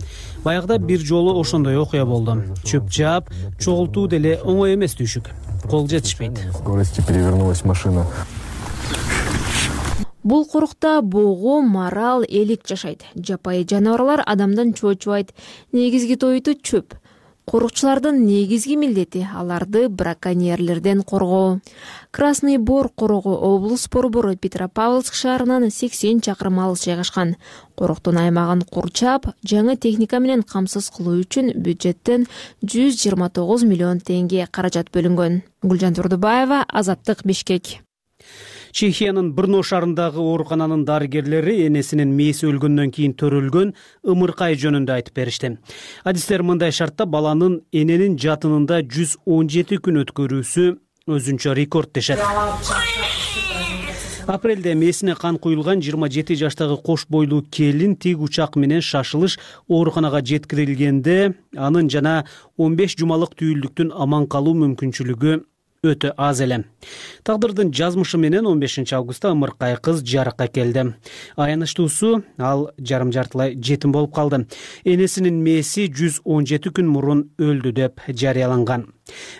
Баягыда бир жолу ошондой окуя болду. Чөп жаап, чогултуу деле оңой эмес түйшүк. Кол жетишпейт. Скорости перевернулась машина. Бул корукта богу, марал, элик жашайт. Жапайы жаныбарлар адамдан чоочубайт. Негизги тоюту чөп. Корукчулардын негизги милдети аларды браконьерлерден коргоо. Красный Бор коругу облус борбору Петропавловск шаарынан 80 чакырым алыс жайгашкан. Коруктун аймагын курчап, жаңы техника менен камсыз кылуу үчүн бюджеттен 129 миллион теңге каражат бөлүнгөн. Гүлжан Турдубаева, Азаттык, Бишкек. Чехиянын Брно шаарындагы оорукананын дарыгерлери энесинин мээси өлгөндөн кийин төрөлгөн ымыркай жөнүндө айтып беришти. Адистер мындай шартта баланын эненин жатынында 117 күн өткөрүүсү өзүнчө рекорд дешет. Апрелде мээсине кан куюлган 27 жаштагы кош бойлуу келин тиг учак менен шашылыш ооруканага жеткирилгенде анын жана 15 жумалык түйүлдүктүн аман калуу мүмкүнчүлүгү өтө аз эле. Тагдырдын жазмышы менен 15 августта ымыркай кыз жарыкка келди. Аянычтуусу ал жарым-жартылай жетим болуп калды. Энесинин мээси 117 күн мурун өлдү деп жарыяланган.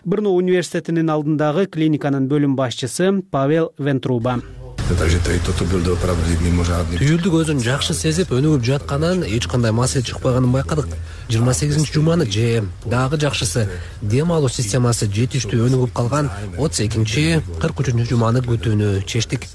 Брно университетинин алдындагы клиниканын бөлүм башчысы Павел Вентруба. Түйүлдүк өзүн жакшы сезип, өнүгүп жатканын, эч кандай маселе чыкпаганын байкадык. 28-жуманы же дагы жакшысы дем алуу системасы жетиштүү өнүгүп калган. 32-43-жуманы күтүүнү чечтик.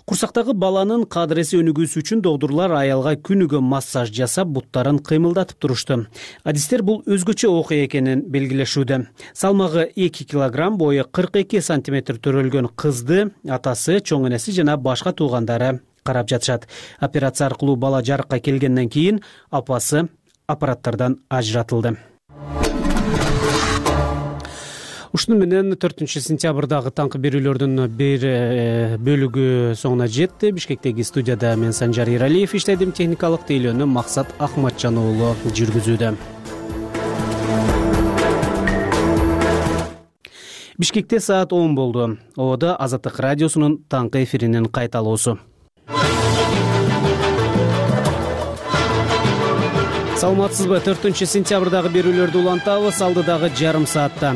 Курсактагы баланын кадыреси өнүгүүсү үчүн доктурлар аялга күнүгө массаж жасап, буттарын кыймылдатып турушту. Адистер бул өзгөчө окуя экенин белгилешүүдө. Салмагы 2 килограмм, бою 42 сантиметр төрөлгөн кызды атасы, чоң энеси жана башка туугандары карап жатышат. Операция аркылуу бала жарыкка келгенден кийин апасы аппараттардан ажыратылды. Ушуну менен 4-сентябрдагы таңкы берүүлөрдүн бир бөлүгү соңуна жетти. Бишкектеги студияда мен Санжар Иралиев иштедим. Техникалык тейлөөнү Максат Ахматжан уулу жүргүзүүдө. Бишкекте саат 10 болду. Оодо Азаттык радиосунун таңкы эфиринин кайталоосу. Саламатсызбы? 4-сентябрдагы берүүлөрдү улантабыз. Алдыдагы жарым саатта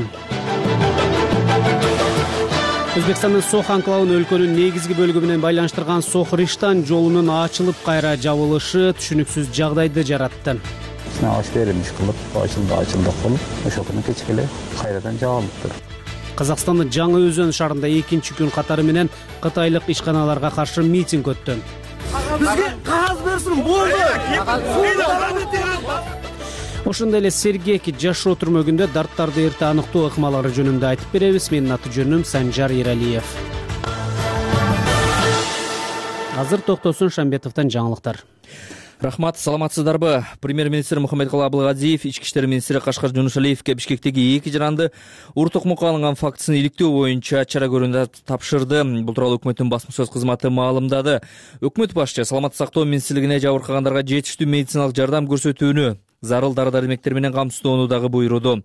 Өзбекстандын Сох анклавын өлкөнүн негизги бөлүгү менен байланыштырган Сох-Риштан жолунун ачылып кайра жабылышы түшүнүксүз жагдайды жаратты. Аш берилиш кылып, ачылдык болуп, ошол күнү кечке эле кайрадан жабылыптыр. Казакстандын Жаңы Өзөн шаарында экинчи күн катары менен кытайлык ишканаларга каршы митинг өттү. Бизге кагаз берсин, болду. Ошондой эле сергек жашоо түрмөгүндө дарттарды эрте аныктоо ыкмалары жөнүндө айтып беребиз. Менин аты жөнүм Санжар Иралиев. Азыр Токтосун Шамбетовдон жаңылыктар. Рахмат, саламатсыздарбы? Премьер-министр Мухаммедкулы Абылгазиев ички иштер министри Кашкар Жунушалиевке Бишкектеги 2 жаранды уруттук мукка алынган фактысын иликтөө боюнча чара көрүүнү тапшырды. Бул тууралуу өкмөттүн басма сөз кызматы маалымдады. Өкмөт башчы саламаттык сактоо министрлигине жабыркагандарга жетиштүү медициналык жардам көрсөтүүнү, зарыл дары-дармектер менен камсыздоону дагы буйруду.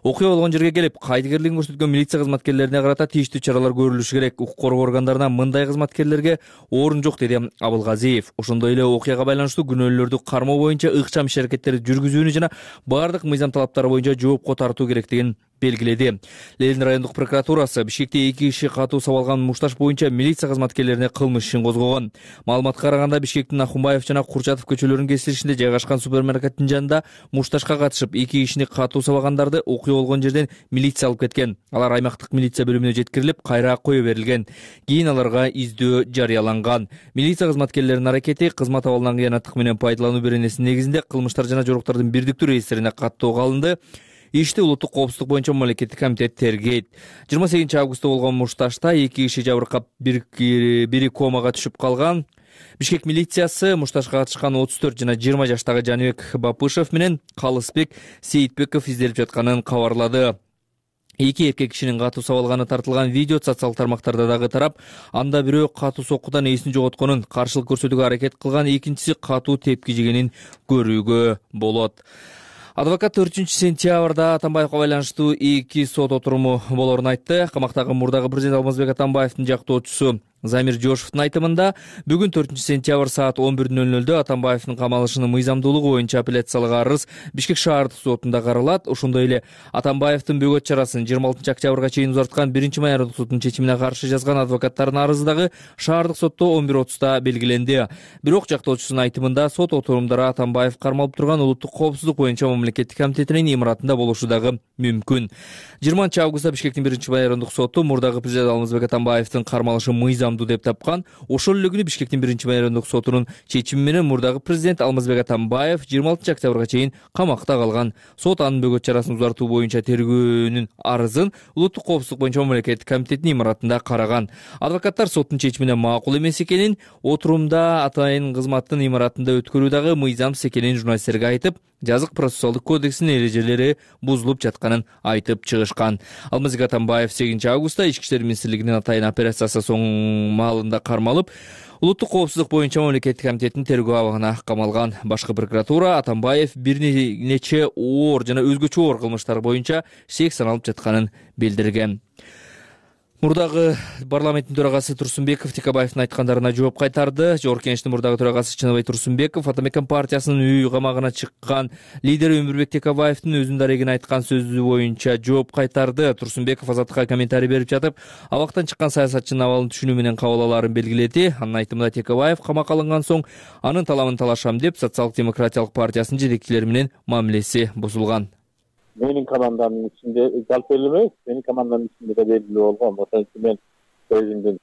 Окуя болгон жерге келип, кайдыгерлигин көрсөткөн милиция кызматкерлерине карата тийиштүү чаралар көрүлүшү керек. Укук коргоо органдарына мындай кызматкерлерге орун жок, деди Абылгазиев. Ошондой эле окуяга байланыштуу күнөөлөрдү кармоо боюнча ыкчам иш-аракеттерди жүргүзүүнү жана бардык мыйзам талаптары боюнча жоопко тартуу керектигин белгиледи. Ленин райондук прокуратурасы Бишкекте 2 киши катуу сабалган мушташ боюнча милиция кызматкерлерине кылмыш ишин козгогон. Маалыматка караганда Бишкектин Ахунбаев жана Курчатов көчөлөрүнүн кесилишинде жайгашкан супермаркеттин жанында мушташка катышып 2 кишини катуу сабагандарды окуя болгон жерден милиция алып кеткен. Алар аймактык милиция бөлүмүнө жеткирилип, кайра кое берилген. Кийин аларга издөө жарыяланган. Милиция кызматкерлеринин аракети кызмат абалынан кыянаттык менен пайдалануу беренесинин негизинде кылмыштар жана жоруктардын бирдиктүү реестрине каттоого алынды. Ишти улуттук коопсуздук боюнча мамлекеттик комитет тергейт. 28 августта болгон мушташта 2 киши жабыркап, бири комага түшүп калган. Бишкек милициясы мушташка катышкан 34 жана 20 жаштагы Жаныбек Бапышев менен Калысбек Сейитбеков изделип жатканын кабарлады. 2 эркек кишинин катуу сабалганы тартылган видео социалдык тармактарда дагы тарап, анда бирөө катуу соккудан эсин жоготконун, каршылык көрсөтүүгө аракет кылган, экинчиси катуу тепки жегенин көрүүгө болот. Адвокат 4-сентябрда Атамбаевга байланыштуу 2 сот отуруму болорун айтты. Камактагы мурдагы президент Алмазбек Атамбаевдин жактоочусу Замир Жошевдун айтымында бүгүн 4-сентябрь саат 11:00 Атамбаевдин камалышынын мыйзамдуулугу боюнча апелляциялык арыз Бишкек шаардык сотунда каралат. Ошондой эле Атамбаевдин бөгөт чарасын 26 октябрга чейин узарткан 1-май айрымдык соттун чечимине каршы жазган адвокаттардын арызы дагы шаардык сотто 11:30 белгиленди. Бирок жактоочусунун айтымында сот отурумдары Атамбаев кармалып турган улуттук коопсуздук боюнча мамлекеттик комитетинин имаратында болушу дагы мүмкүн. 20 августта Бишкектин 1-май айрымдык соту мурдагы президент Алмазбек Атамбаевдин кармалышы мыйзам деп тапкан. Ошол эле күнү Бишкектин 1-май айрымдык сотунун чечими менен мурдагы президент Алмазбек Атамбаев 26 октябрга чейин камакта калган. Сот анын бөгөт чарасын узартуу боюнча тергөөнүн арызын улуттук коопсуздук боюнча мамлекеттик комитетинин имаратында караган. Адвокаттар соттун чечимине макул эмес экенин, отурумда атайын кызматтын имаратында өткөрүү дагы мыйзамсыз экенин журналисттерге айтып, жазык процессуалдык кодексинин эрежелери бузулуп жатканын айтып чыгышкан. Алмазбек Атамбаев 8 августта Ички иштер министрлигинин атайын операциясы соң маалында кармалып, улуттук коопсуздук боюнча мамлекеттик комитеттин тергөө абагына камалган. Башкы прокуратура Атамбаев бир нече оор жана өзгөчө оор кылмыштар боюнча шек саналып жатканын билдирген. Мурдагы парламенттин төрагасы Турсунбеков Текебаевдин айткандарына жооп кайтарды. Жогорку Кеңештин мурдагы төрагасы Чыныбай Турсунбеков Атамекен партиясынын үй камагына чыккан лидери Өмүрбек Текебаевдин өзүнүн дарегине айткан сөзү боюнча жооп кайтарды. Турсунбеков Азаттыкка комментарий берип жатып, абактан чыккан саясатчынын абалын түшүнүү менен кабыл алаарын белгиледи. Анын айтымында Текебаев камакка алынган соң анын талабын талашам деп Социалдык демократиялык партиясынын жетекчилери менен мамилеси бузулган. Менин командамдын ичинде жалпы эле эмес, менин командамдын ичинде да белгилүү болгон. Ошон үчүн мен өзүмдүн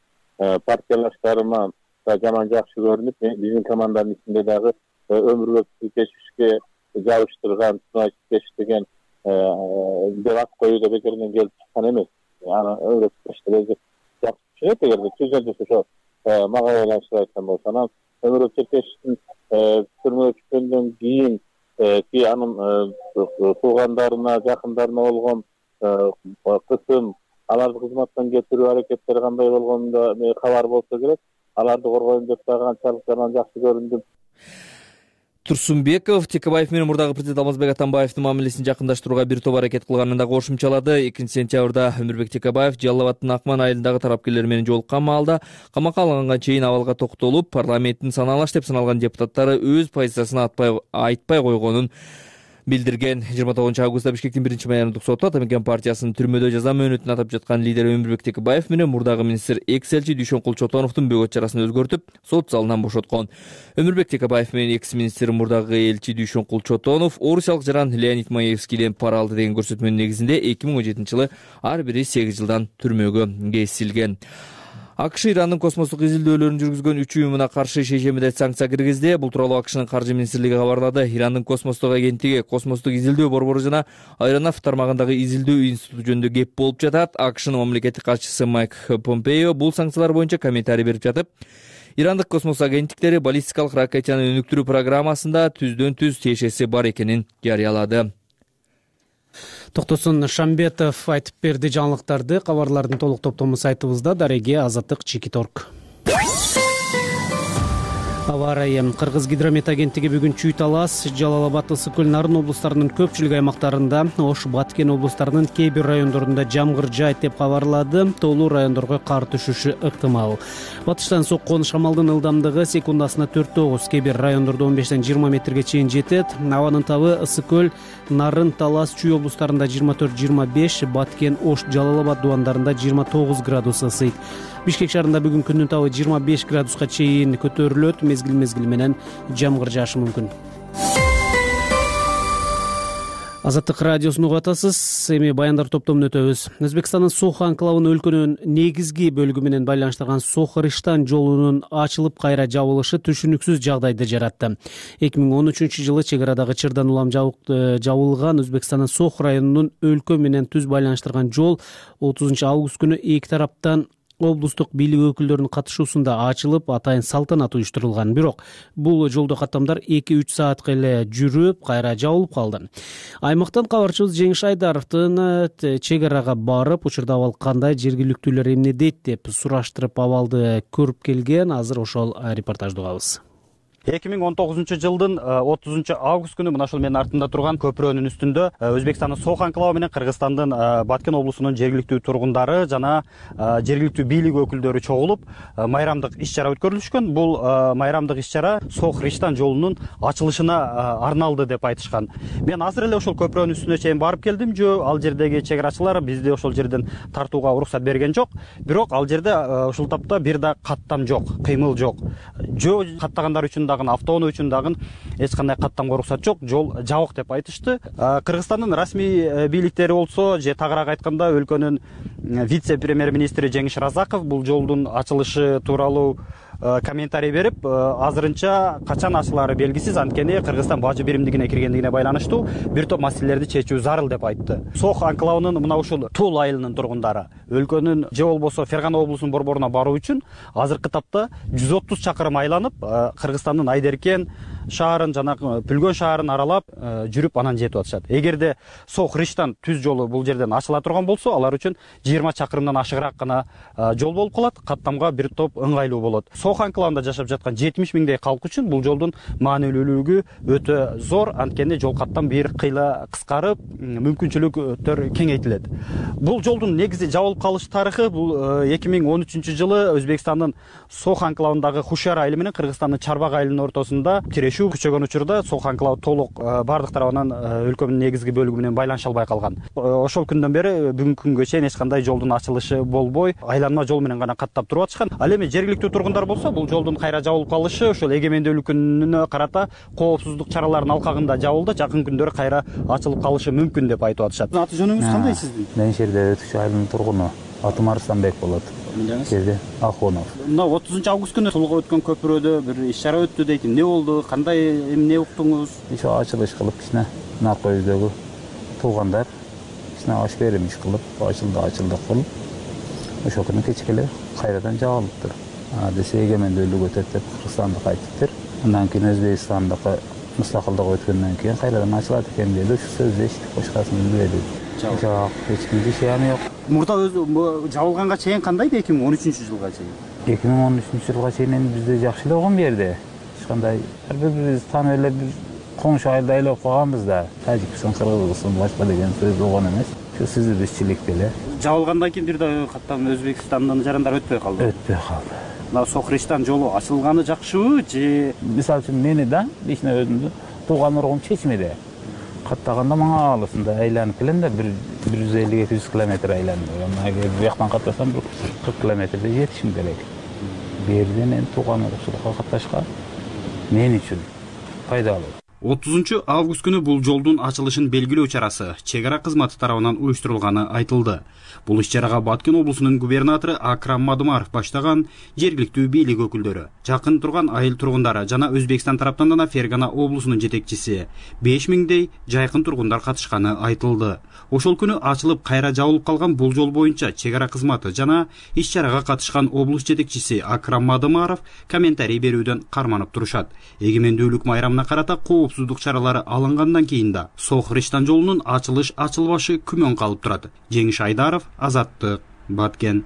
партиялаштарыма жаман жакшы көрүнүп, биздин команданын ичинде дагы өмүрбөк кечишке жабыштырган кечтеген деп ат коюуда бекерден келип чыккан эмес. Аны өйрөтүштөр жакшы түшүнөт, эгерде түзөлүп ошо мага байланыштуу айткан болсо. Анан өмүрбөк Черкешевдин түрмөгө түшкөндөн кийин анын туугандарына, жакындарына болгон кысым, аларды кызматтан кетирүү аракеттери кандай болгонунда кабар болсо керек. Аларды коргойм деп дагы канчалык анан жакшы көрүндүм. Турсунбеков Текебаев менен мурдагы президент Алмазбек Атамбаевдин мамилесин жакындаштырууга бир топ аракет кылганын да кошумчалады. 2-сентябрда Өмүрбек Текебаев Жалал абаддын Акман айылындагы тарапкерлер менен жолуккан маалда камакка алынганга чейин абалга токтолуп, парламенттин саналаш деп саналган депутаттары өз позициясын айтпай койгонун билдирген. 29 Бишкектин 1-майрамдык соту Атамекен партиясынын түрмөдө жаза мөөнөтүн атап жаткан лидери Өмүрбек Текебаев менен мурдагы министр экс-элчи Дүйшөн Кулчотоновдун бөгөт чарасын өзгөртүп, сот залынан бошоткон. Өмүрбек Текебаев менен экс-министр мурдагы элчи Дүйшөн Кулчотонов орусиялык жаран Леонид Маевскийден пара алды деген көрсөтмөнүн негизинде 2017-жылы ар бири 8 жылдан түрмөгө кесилген. АКШ Ирандын космостук изилдөөлөрүн жүргүзгөн 3 уюмуна каршы шейшембиде санкция киргизди. Бул тууралуу АКШнын каржы министрлиги кабарлады. Ирандын космостук агенттиги, космостук изилдөө борбору жана Аэронавт тармагындагы изилдөө институту жөнүндө кеп болуп жатат. АКШнын мамлекеттик катчысы Майк Помпео бул санкциялар боюнча комментарий берип жатып, Ирандык космос агенттиктери баллистикалык ракетаны өнүктүрүү программасында түздөн-түз тиешеси бар экенин жарыялады. Токтосун Шамбетов айтып берди жаңылыктарды. Кабарлардын толук топтому сайтыбызда. Дареге Азаттык Чикиторг. Аба ырайы. Кыргыз гидромет агенттиги бүгүн Чүй Талас, Жалал абад, Ысык көл, Нарын облустарынын көпчүлүк аймактарында, Ош, Баткен облустарынын кээ бир райондорунда жамгыр жаайт деп кабарлады. Тоолуу райондорго кар түшүшү ыктымал. Батыштан соккон шамалдын ылдамдыгы секундасына 4-9, кээ бир райондордо 15-20 метрге чейин жетет. Абанын табы Ысык көл, Нарын, Талас, Чүй облустарында 24-25, Баткен, Ош, Жалал абад дубандарында 29 градус ысыйт. Бишкек шаарында бүгүн күндүн табы 25 градуска чейин көтөрүлөт. Мезгил менен жамгыр жаашы мүмкүн. Азаттык радиосун угуп атасыз. Эми баяндар топтомун өтөбүз. Өзбекстандын Сох анклавын өлкөнүн негизги бөлүгү менен байланыштырган Сох-Риштан жолунун ачылып кайра жабылышы түшүнүксүз жагдайды жаратты. 2013-жылы чек арадагы чырдан улам жабылган Өзбекстандын Сох районунун өлкө менен түз байланыштырган жол 30 август күнү эки тараптан облустук бийлик өкүлдөрүнүн катышуусунда ачылып, атайын салтанат уюштурулган. Бирок бул жолдо каттамдар 2-3 саатка эле жүрүп, кайра жабылып калды. Аймактан кабарчыбыз Жеңиш Айдаровдун чек арага барып, учурда абал кандай, жергиликтүүлөр эмне дейт деп сураштырып абалды көрүп келген. Азыр ошол репортажды угабыз. 2019-жылдын 30 август күнү мына ушул менин артымда турган көпүрөнүн үстүндө Өзбекстандын Сох анклавы менен Кыргызстандын Баткен облусунун жергиликтүү тургундары жана жергиликтүү бийлик өкүлдөрү чогулуп майрамдык иш-чара өткөрүлүшкөн. Бул майрамдык иш-чара Сох-Риштан жолунун ачылышына арналды деп айтышкан. Мен азыр эле ошол көпүрөнүн үстүнө чейин барып келдим. Ал жердеги чек арачылар бизди ошол жерден тартууга уруксат берген жок. Бирок ал жерде ушул тапта бир да каттам жок, кыймыл жок. Жол каттагандар үчүн автоуноо үчүн дагы эч кандай каттамга уруксат жок, жол жабык деп айтышты. Кыргызстандын расмий бийликтери болсо, же тагыраак айтканда өлкөнүн вице-премьер-министри Жеңиш Разаков бул жолдун ачылышы тууралуу комментарий берип, азырынча качан ачылаары белгисиз, анткени Кыргызстан бажы биримдигине киргендигине байланыштуу бир топ маселелерди чечүү зарыл деп айтты. Сох анклавынын мына ушул Тул айылынын тургундары өлкөнүн же болбосо Фергана облусунун борборуна баруу үчүн азыркы тапта 130 чакырым айланып, Кыргызстандын Айдеркен шаарын жана Пүлгөн шаарын аралап жүрүп анан жетип атышат. Эгерде Сох-Риштан түз жолу бул жерден ачыла турган болсо, алар үчүн 20 чакырымдан ашыгыраак гана жол болуп калат, каттамга бир топ ыңгайлуу болот. Сох анклавында жашап жаткан 70 миңдей калк үчүн бул жолдун маанилүүлүгү өтө зор, анткени жол каттам бир кыйла кыскарып, мүмкүнчүлүктөр кеңейтилет. Бул жолдун негизи жабылып калыш тарыхы бул 2013-жылы Өзбекстандын Сох анклавындагы Хушяр айылы менен Кыргызстандын Чарбак айылынын ортосунда тирешүү күчөгөн учурда Сох анклавы толук бардык тарабынан өлкөнүн негизги бөлүгү менен байланыша албай калган. Ошол күндөн бери бүгүнкү күнгө чейин эч кандай жолдун ачылышы болбой, айланма жол менен гана каттап туруп атышкан. Ал эми жергиликтүү тургундар болсо, бул жолдун кайра жабылып калышы ошол эгемендүүлүк күнүнө карата коопсуздук чараларынын алкагында жабылды, жакын күндөрү кайра ачылып калышы мүмкүн деп айтып атышат. Аты жөнүңүз кандай сиздин? Мен Шерде Өтүш айылынын тургуну. Атым Арыстанбек болот. Кээде Ахунов. Мына 30 август күнү тулга өткөн көпүрөдө бир иш-чара өттү дейт. Эмне болду? Кандай эмне уктуңуз? Ошо ачылыш кылып кичине наркы өйдөгү туугандар кичине аш берим иш кылып ачылдык кылып ошол күнү кечке эле кайрадан жабылыптыр. Десе эгемендүүлүк өтөт деп Кыргызстанды айтыптыр. Андан кийин Өзбекстандыкы мустакылдык өткөндөн кийин кайрадан ачылат экен деди. Ушу сөздү эчтик, башкасын билбедик. Жок, эч кимде ишенем жок. Мурда жабылганга чейин кандайды 2013-жылга чейин? 2013-жылга чейин бизде жакшы эле болгон берди. Эч кандай ар бирибизди таанып эле бир коңшу айылда айлап калганбыз да. Тажикстан, Кыргызстан башка деген сөз болгон эмес. Ушу сиздирчиликте эле. Жабылгандан кийин бир да каттан Өзбекстандын жарандары өтпөй калды. Өтпөй калды. Мына Сохриштан жолу ачылганы жакшыбы же? Мисалы үчүн мени да лично өзүмдү тууган ургум чечмеди. Каттаганда мага алысында айланып келем да 150-200 километр айланып. Эгер бияктан каттасам 40 километрде жетишим керек. Берден эми тууган урукчулукка катташка мен үчүн пайдалуу. 30 август күнү бул жолдун ачылышын белгилөө чарасы чек ара кызматы тарабынан уюштурулганы айтылды. Бул иш-чарага Баткен облусунун губернатору Акрам Мадумаров баштаган жергиликтүү бийлик өкүлдөрү, жакын турган айыл тургундары жана Өзбекстан тараптан гана Фергана облусунун жетекчиси 5000дей жайкын тургундар катышканы айтылды. Ошол күнү ачылып кайра жабылып калган бул жол боюнча чек ара кызматы жана иш-чарага катышкан облус жетекчиси Акрам Мадумаров комментарий берүүдөн карманып турушат. Эгемендүүлүк майрамына карата коопсуздук чаралары алынгандан кийин да Сохриштан жолунун ачылыш-ачылбашы күмөн калып турат. Жеңиш Айдаров, Азаттык, Баткен.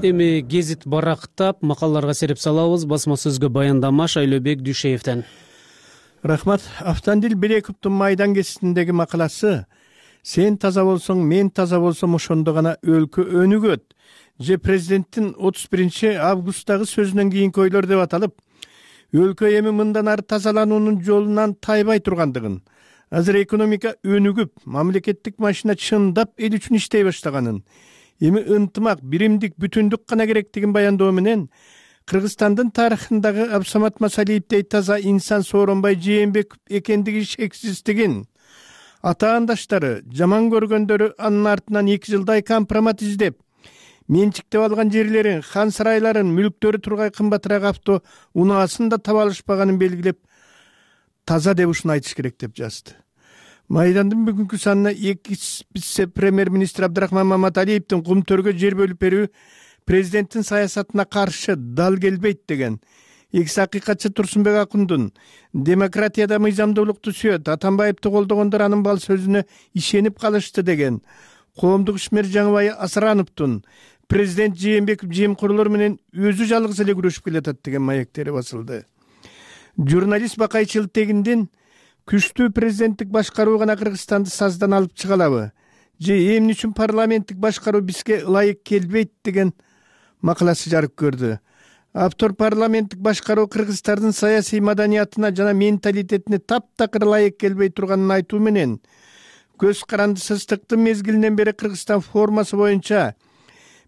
Эми гезит барактап макалаларга сереп салабыз. Басма сөзгө баяндама Шайлообек Дүйшеевден. Рахмат. Автандил Белековдун Майдан кеситиндеги макаласы «Сен таза болсоң, мен таза болсом ошондо гана өлкө өнүгөт» же президенттин 31 августтагы сөзүнөн кийинки ойлор деп аталып, өлкө эми мындан ары тазалануунун жолунан тайбай тургандыгын, азыр экономика өнүгүп, мамлекеттик машина чындап эл үчүн иштей баштаганын, эми ынтымак, биримдик, бүтүндүк гана керектигин баяндоо менен Кыргызстандын тарыхындагы Абсамат Масалиевдей таза инсан Сооронбай Жээнбеков экендиги шексиздигин, атаандаштары, жаман көргөндөрү анын артынан 2 жылдай компромат издеп, менчиктеп алган жерлерин, хан сарайларын, мүлктөрү тургай кымбатыраак авто унаасын да таба алышпаганын белгилеп, таза деп ушуну айтыш керек деп жазды. Майдандын бүгүнкү санына вице-премьер-министр Абдрахман Маматалиевдин Кумтөргө жер бөлүп берүү президенттин саясатына каршы дал келбейт деген, экс акыйкатчы Турсунбек Акундун демократияда мыйзамдуулукту сүйөт, Атамбаевди колдогондор анын бал сөзүнө ишенип калышты деген, коомдук ишмер Жаңыбай Асырановдун президент Жээнбеков жемкорлор менен өзү жалгыз эле күрөшүп келатат деген маектери басылды. Журналист Бакай Чылтегиндин күчтүү президенттик башкаруу гана Кыргызстанды саздан алып чыга алабы же эмне үчүн парламенттик башкаруу бизге ылайык келбейт деген макаласы жарык көрдү. Автор парламенттик башкаруу кыргыздардын саясий маданиятына жана менталитетине таптакыр ылайык келбей турганын айтуу менен көз карандысыздыктын мезгилинен бери Кыргызстан формасы боюнча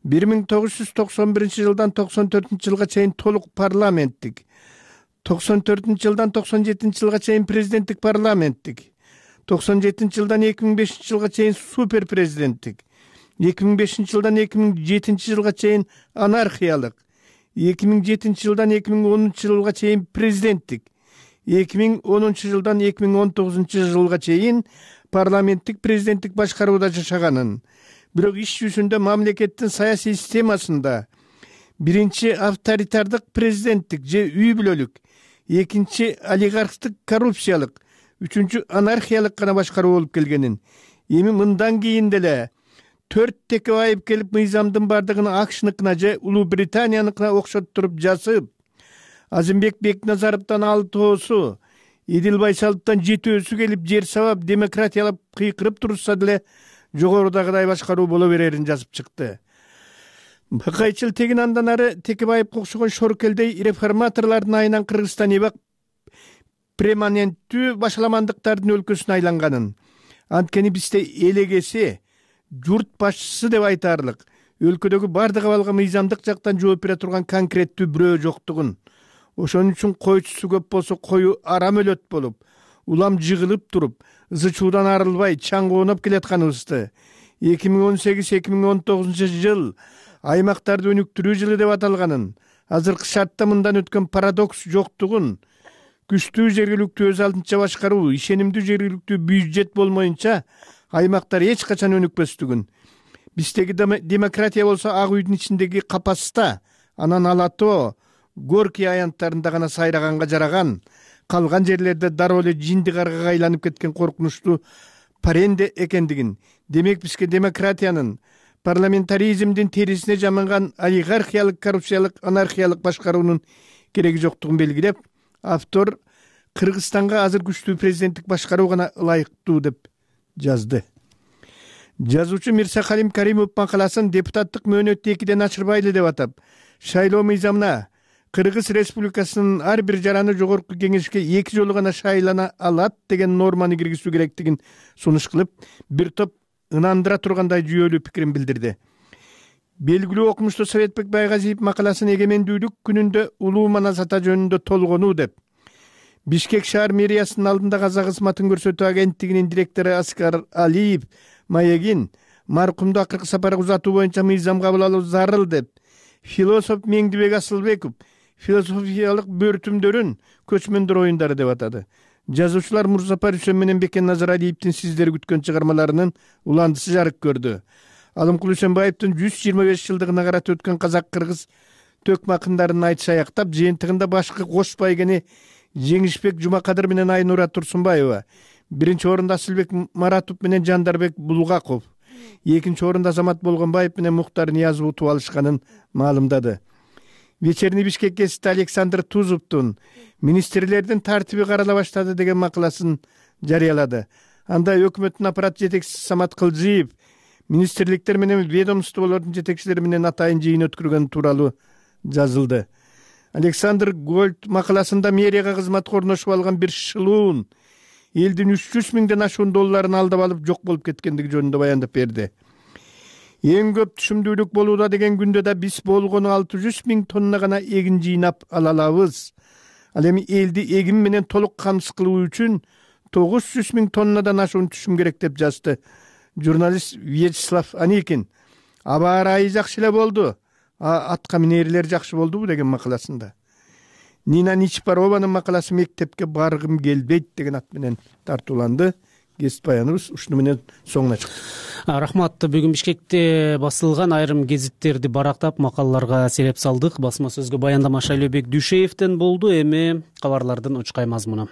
1991 жылдан 94 жылга чейин толук парламенттик, 94 жылдан 97 жылга чейин президенттик парламенттик, 97 жылдан 2005 жылга чейин супер президенттик, 2005 жылдан 2007 жылга чейин анархиялык, 2007 жылдан 2010 жылга чейин президенттик, 2010 жылдан 2019 жылга чейин парламенттик президенттик башкарууда жашаганын, бирок иш жүзүндө мамлекеттин саясий системасында биринчи авторитардык президенттик же үй бүлөлүк, экинчи олигархтык коррупциялык, үчүнчү анархиялык гана башкаруу болуп келгенин, эми мындан кийин деле 4 Текебаев келип мыйзамдын бардыгын Акшныкына же Улуу Британияныкына окшоттуруп жасып, Азымбек Бекназаровдон 6-оосу, Идил Байсаловдон 7-өсү келип жер сабап демократиялап кыйкырып турушса деле жогорудагыдай башкаруу боло берерин жазып чыкты. Бакай Чылтегин андан ары Текебаевге окшогон шоркелдей реформаторлордун айынан Кыргызстан эбак перманенттүү башаламандыктардын өлкөсүнө айланганын, анткени бизде элегеси журт башчысы деп айтаарлык өлкөдөгү бардык абалга мыйзамдык жактан жооп бере турган конкреттүү бирөө жоктугун, ошон үчүн койчусу көп болсо кою арам өлөт болуп, улам жыгылып туруп ызы чуудан арылбай чаң кооноп келатканыбызды 2018-2019 жыл аймактарды өнүктүрүү жылы деп аталганын, азыркы шартта мындан өткөн парадокс жоктугун, күчтүү жергиликтүү өз алдынча башкаруу, ишенимдүү жергиликтүү бюджет болмоюнча аймактар эч качан өнүкпөстүгүн, биздеги демократия болсо ак үйдүн ичиндеги капаста, анан ала тоо, Горький аянттарында гана сайраганга жараган, калган жерлерде дароо эле жинди каргага айланып кеткен коркунучтуу паренде экендигин, демек бизге демократиянын, парламентаризмдин терисине жаманган олигархиялык, коррупциялык, анархиялык башкаруунун кереги жоктугун белгилеп, автор Кыргызстанга азыр күчтүү президенттик башкаруу гана ылайыктуу деп жазды. Жазуучу Мирсакалим Каримов макаласын депутаттык мөөнөттү 2ден ашырбайлы деп атап, шайлоо мыйзамына Кыргыз Республикасынын ар бир жараны жогорку кеңешке 2 жолу гана шайлана алат деген норманы киргизүү керектигин сунуш кылып, бир топ ынандыра тургандай жүйөлүү пикирин билдирди. Белгилүү окумуштуу Советбек Байгазиев макаласын эгемендүүлүк күнүндө улуу манасата жөнүндө толгонуу деп, Бишкек шаар мэриясынын алдында казак кызматын көрсөтүү агенттигинин директору Аскар Алиев Маегин маркумду акыркы сапары узатуу боюнча мыйзам кабыл алуу зарыл деп, философ Меңдибек Асылбеков философиялык бөртүмдөрүн көчмөндөр оюндары деп атады. Жазуучулар Мурзапар Үсен менен Бекен Назаралиевдин сиздер күткөн чыгармаларынын уландысы жарык көрдү. Алымкул Үсенбаевдин 125 жылдыгына карата өткөн казак-кыргыз төкмө акындарын айтыш аяктап, жыйынтыгында башкы кош байгени Жеңишбек Жумакадыр менен Айнура Турсунбаева, биринчи орунда Асылбек Маратов менен Жандарбек Булгаков, экинчи орунда Азамат Болгонбаев менен Муктар Ниязов утуп алышканын маалымдады. Вечерний Бишкек гезити Александр Тузовдун министрлердин тартиби карала баштады деген макаласын жарыялады. Анда өкмөттүн аппарат жетекчиси Самат Кылжиев министрликтер менен ведомстволордун жетекчилери менен атайын жыйын өткөргөн тууралуу жазылды. Александр Гольд макаласында мэрияга кызматка орношуп алган бир шылуун элдин 300 миңден ашуун долларын алдап алып жок болуп кеткендиги жөнүндө баяндап берди. Эң көп түшүмдүүлүк болууда деген күндө да биз болгону 600 миң тонна гана эгин жыйнап ала алабыз. Ал эми элди эгин менен толук камсыз кылуу үчүн 900 миң тоннадан ашуун түшүм керек деп жазды журналист Вячеслав Аникин. Аба ырайы жакшы эле болду, атка минерлер жакшы болдубу деген макаласында. Нина Ничпарованын макаласы мектепке баргым келбейт деген ат менен тартууланды. Гезит баяныбыз ушуну менен соңуна чыкты. Рахмат. Бүгүн Бишкекте басылган айрым гезиттерди барактап макалаларга селеп салдык. Басма сөзгө баяндама Шайлообек Дүйшеевден болду. Эми кабарлардын учкай мазмуну.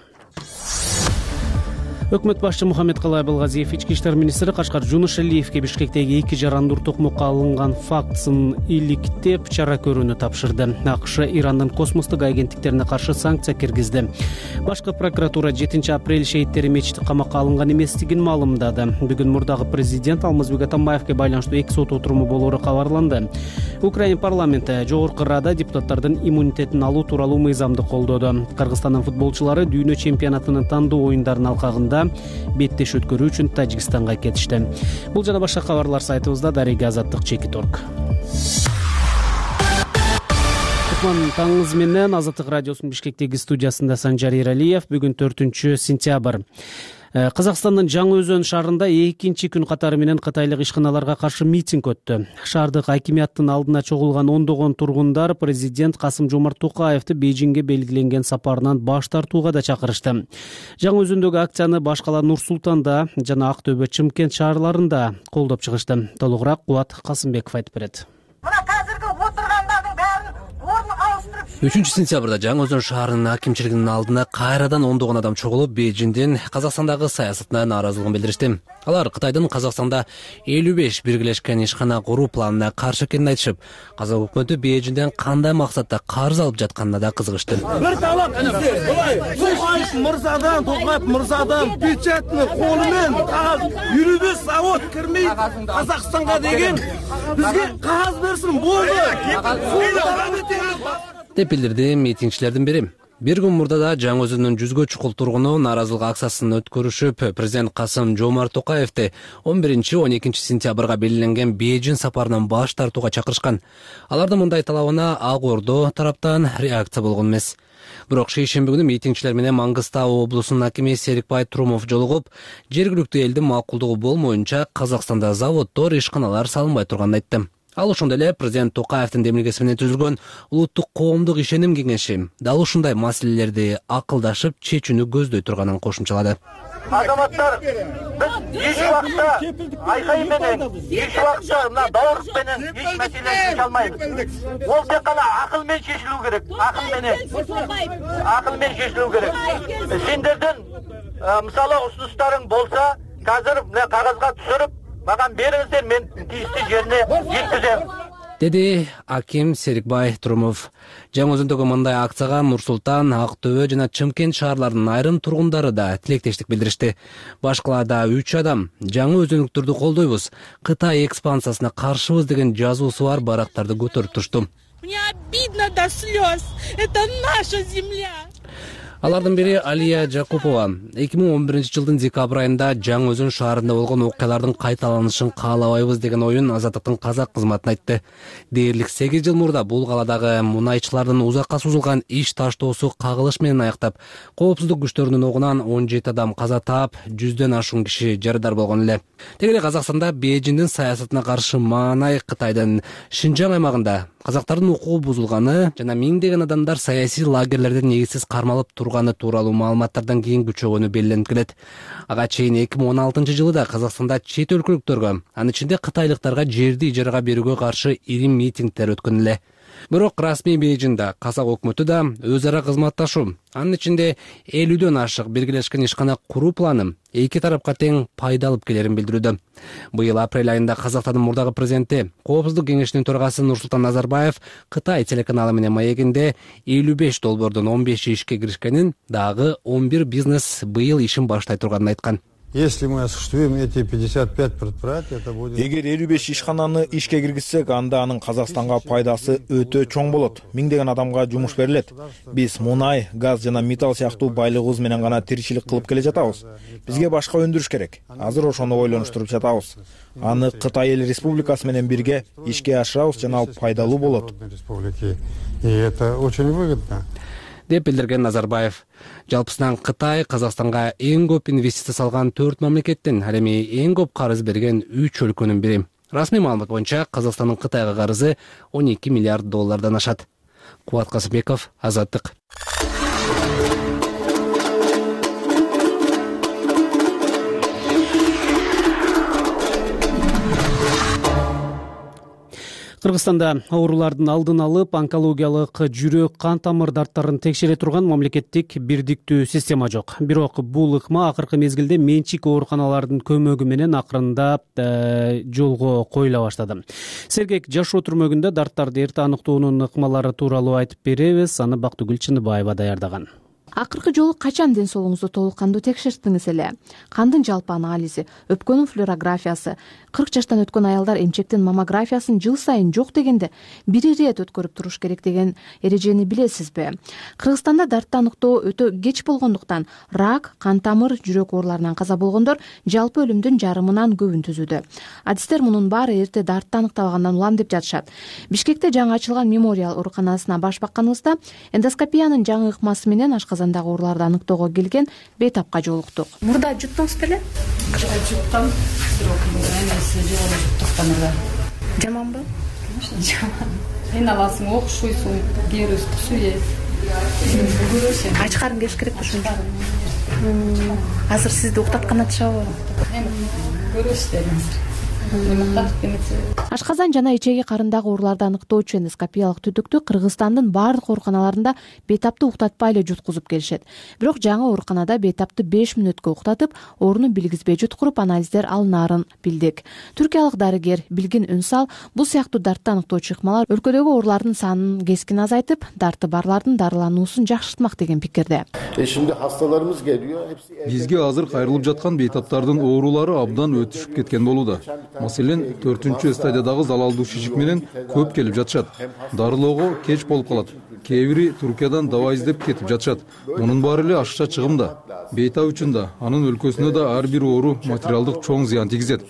Өкмөт башчы Мухаммедкалай Абылгазиев ички иштер министри Кашкар Жунушалиевге Бишкектеги 2 жарандуу токмокко алынган фактысын иликтеп чара көрүүнү тапшырды. АКШ Ирандын космостук агенттиктерине каршы санкция киргизди. Башкы прокуратура 7 апрель шейиттери мечити камакка алынган эместигин маалымдады. Бүгүн мурдагы президент Алмазбек Атамбаевге байланыштуу 2 сот отуруму болоору кабарланды. Украина парламенти Жогорку Рада депутаттардын иммунитетин алуу тууралуу мыйзамды колдоду. Кыргызстандын футболчулары дүйнө чемпионатынын тандоо оюндарынын алкагында беттеш өткөрүү үчүн Тажикстанга кетишти. Бул жана башка кабарлар сайтыбызда дареги азаттык.org. Таңыңыз менен Азаттык радиосунун Бишкектеги студиясында Санжар Эралиев. Бүгүн 4-сентябрь. Казакстандын Жаңы Өзөн шаарында 2 күн катары менен кытайлык ишканаларга каршы митинг өттү. Шаардык акимияттын алдына чогулган ондогон тургундар президент Касым-Жомарт Токаевди Бейжиңге белгиленген сапарынан баш тартууга да чакырышты. Жаңы Өзөндөгү акцияны баш кала Нур-Султанда жана Ак Төбө, Чымкент шаарларында колдоп чыгышты. Толугураак Кубат Касымбеков айтып берет. 3-сентябрда Жаңы Өзөн шаарынын акимчилигинин алдына кайрадан ондогон адам чогулуп, Бейжиңдин Казакстандагы саясатына нааразылыгын билдиришти. Алар Кытайдын Казакстанда 55 биргелешкен ишкана куруу планына каршы экенин айтышып, казак өкмөтү Бейжиңден кандай максатта карыз алып жатканына да кызыгышты. Бир талап Токаев мырзадан печатный колу менен юридический завод кирмей Казакстанга деген бизге кагаз берсин болду деп билдирди митингчилердин бири. Бир күн мурда да Жаңы Өзөндүн 100гө чукул тургуну нааразылык акциясын өткөрүшүп, президент Касым-Жомарт Токаевди 11-12 сентябрга белгиленген Бейжиң сапарынан баш тартууга чакырышкан. Алардын мындай талабына Ак Ордо тараптан реакция болгон эмес. Бирок шейшемби күнү митингчилер менен Мангыстау облусунун акими Серикбай Турумов жолугуп, жергиликтүү элдин макулдугу болмоюнча Казакстанда заводдор, ишканалар салынбай турганын айтты. Ал ошондой эле президент Токаевдин демилгеси менен түзүлгөн улуттук коомдук ишеним кеңеши дал ушундай маселелерди акылдашып чечүүнү көздөй турганын кошумчалады. Азаматтар, біз еш уақытта айқай менен, еш уақытта мына даурық менен еш мәселені шеше алмаймыз. Ол тек қана ақылмен шешілу керек, ақылмен шешілу керек. Сендерден мысалы ұсыныстарың болса, қазір қағазға түсіріп, маған беріңіздер, мен тиісті жеріне жеткіземін. Деди аким Серикбай Турумов. Жаңы Өзөндөгү мындай акцияга Нур-Султан, Ак-Төбө жана Чымкент шаарларынын айрым тургундары да тилектештик билдиришти. Башкаларда 3 адам жаңы өзөнүктөрдү колдойбуз, Кытай экспансиясына каршыбыз деген жазуусу бар барактарды көтөрүп турушту. Мне обидно до слез. Это наша земля. Алардын бири Алия Жакупова 2011-жылдын декабрь айында Жаңы Өзөн шаарында болгон окуялардын кайталанышын каалабайбыз деген оюн Азаттыктын казак кызматына айтты. Дээрлик 8 жыл мурда бул каладагы мунайчылардын узакка созулган иш таштоосу кагылыш менен аяктап, коопсуздук күчтөрүнүн огунан 17 адам каза таап, 100дөн ашуун киши жарадар болгон эле. Теги эле Казакстанда Бейжиңдин саясатына каршы маанай Кытайдын Шинжаң аймагында казактардын укугу бузулганы жана миңдеген адамдар саясий лагерлерден негизсиз кармалып турганы тууралуу маалыматтардан кийин күчөгөнү белгиленип келет. Ага чейин 2016-жылы да Казакстанда чет өлкөлүктөргө, анын ичинде кытайлыктарга жерди ижарага берүүгө каршы ири митингдер өткөн эле. Бирок расмий Бейжиңда казак өкмөтү да өз ара кызматташуу, анын ичинде 50дөн ашык биргелешкен ишкана куруу планы эки тарапка тең пайда алып келерин билдирүүдө. Быйыл апрель айында Казакстандын мурдагы президенти, Коопсуздук кеңешинин төрагасы Нурсултан Назарбаев Кытай телеканалы менен маегинде 55 долбоордун 15 ишке киришкенин, дагы 11 бизнес быйыл ишин баштай турганын айткан. Если мы осуществим эти 55 предприятий, это будет... Эгер 55 ишкананы ишке киргизсек, анда анын Казакстанга пайдасы өтө чоң болот. Миңдеген адамга жумуш берилет. Биз мунай, газ жана металл сыяктуу байлыгыбыз менен гана тиричилик кылып келе жатабыз. Бизге башка өндүрүш керек. Азыр ошону ойлонуштуруп жатабыз. Аны Кытай эл республикасы менен бирге ишке ашырабыз жана ал пайдалуу болот. И это очень выгодно. Деп билдирген Назарбаев. Жалпысынан Кытай Казакстанга эң көп инвестиция салган 4 мамлекеттин, ал эми эң көп карыз берген 3 өлкөнүн бири. Расмий маалымат боюнча Казакстандын Кытайга карызы 12 миллиард доллардан ашат. Кубат Касымбеков, Азаттык. Кыргызстанда оорулардын алдын алып, онкологиялык жүрөк, кан тамыр дарттарын текшере турган мамлекеттик бирдиктүү система жок. Бирок бул ыкма акыркы мезгилде менчик ооруканалардын көмөгү менен акырындап жолго коюла баштады. Сергек жашоо түрмөгүндө дарттарды эрте аныктоонун ыкмалары тууралуу айтып беребиз. Аны Бактыгүл Чыныбаева даярдаган. Акыркы жолу качан ден соолугуңузду толук кандуу текшерттиңиз эле? Кандын жалпы анализи, өпкөнүн флюорографиясы, 40 жаштан өткөн аялдар эмчектин маммографиясын жыл сайын жок дегенде бир ирет өткөрүп туруш керек деген эрежени билесизби? Кыргызстанда дартты аныктоо өтө кеч болгондуктан рак, кан тамыр, жүрөк ооруларынан каза болгондор жалпы өлүмдүн жарымынан көбүн түзүүдө. Адистер мунун баары эрте дартты аныктабагандан улам деп жатышат. Бишкекте жаңы ачылган мемориал ооруканасына баш бакканыбызда эндоскопиянын жаңы ыкмасы менен ашказандагы ооруларды аныктоого келген бейтапка жолуктук. Мурда жуттуңуз беле? Жуттум. Жаманбы? Жаман. Айналасың окшойсуң, кээри үстү ач карын кеш керек ошончо. Азыр сизди уктаткан атышабы? Көрөсүздөр азыр. Ашказан жана ичеги карындагы ооруларды аныктоочу эндоскопиялык түтүктү Кыргызстандын баардык ооруканаларында бейтапты уктатпай эле жуткузуп келишет. Бирок жаңы ооруканада бейтапты 5 мүнөткө уктатып, ооруну билгизбей жуткуруп анализдер алынаарын билдик. Түркиялык дарыгер Билгин Үнсал бул сыяктуу дартты аныктоочу ыкмалар өлкөдөгү оорулардын санын кескин азайтып, дарты барлардын дарылануусун жакшыртмак деген пикирде. Şimdi hastalarımız geliyor. Бизге азыр кайрылып жаткан бейтаптардын оорулары абдан өтүшүп кеткен болууда. Маселен, 4-чү стадиядагы залалдуу шишик менен көп келип жатышат. Дарылоого кеч болуп калат. Кээ бири Туркиядан дава издеп кетип жатышат. Мунун баары эле ашыкча чыгымда. Бейтап үчүн да, анын өлкөсүнө да ар бир оору материалдык чоң зыян тийгизет.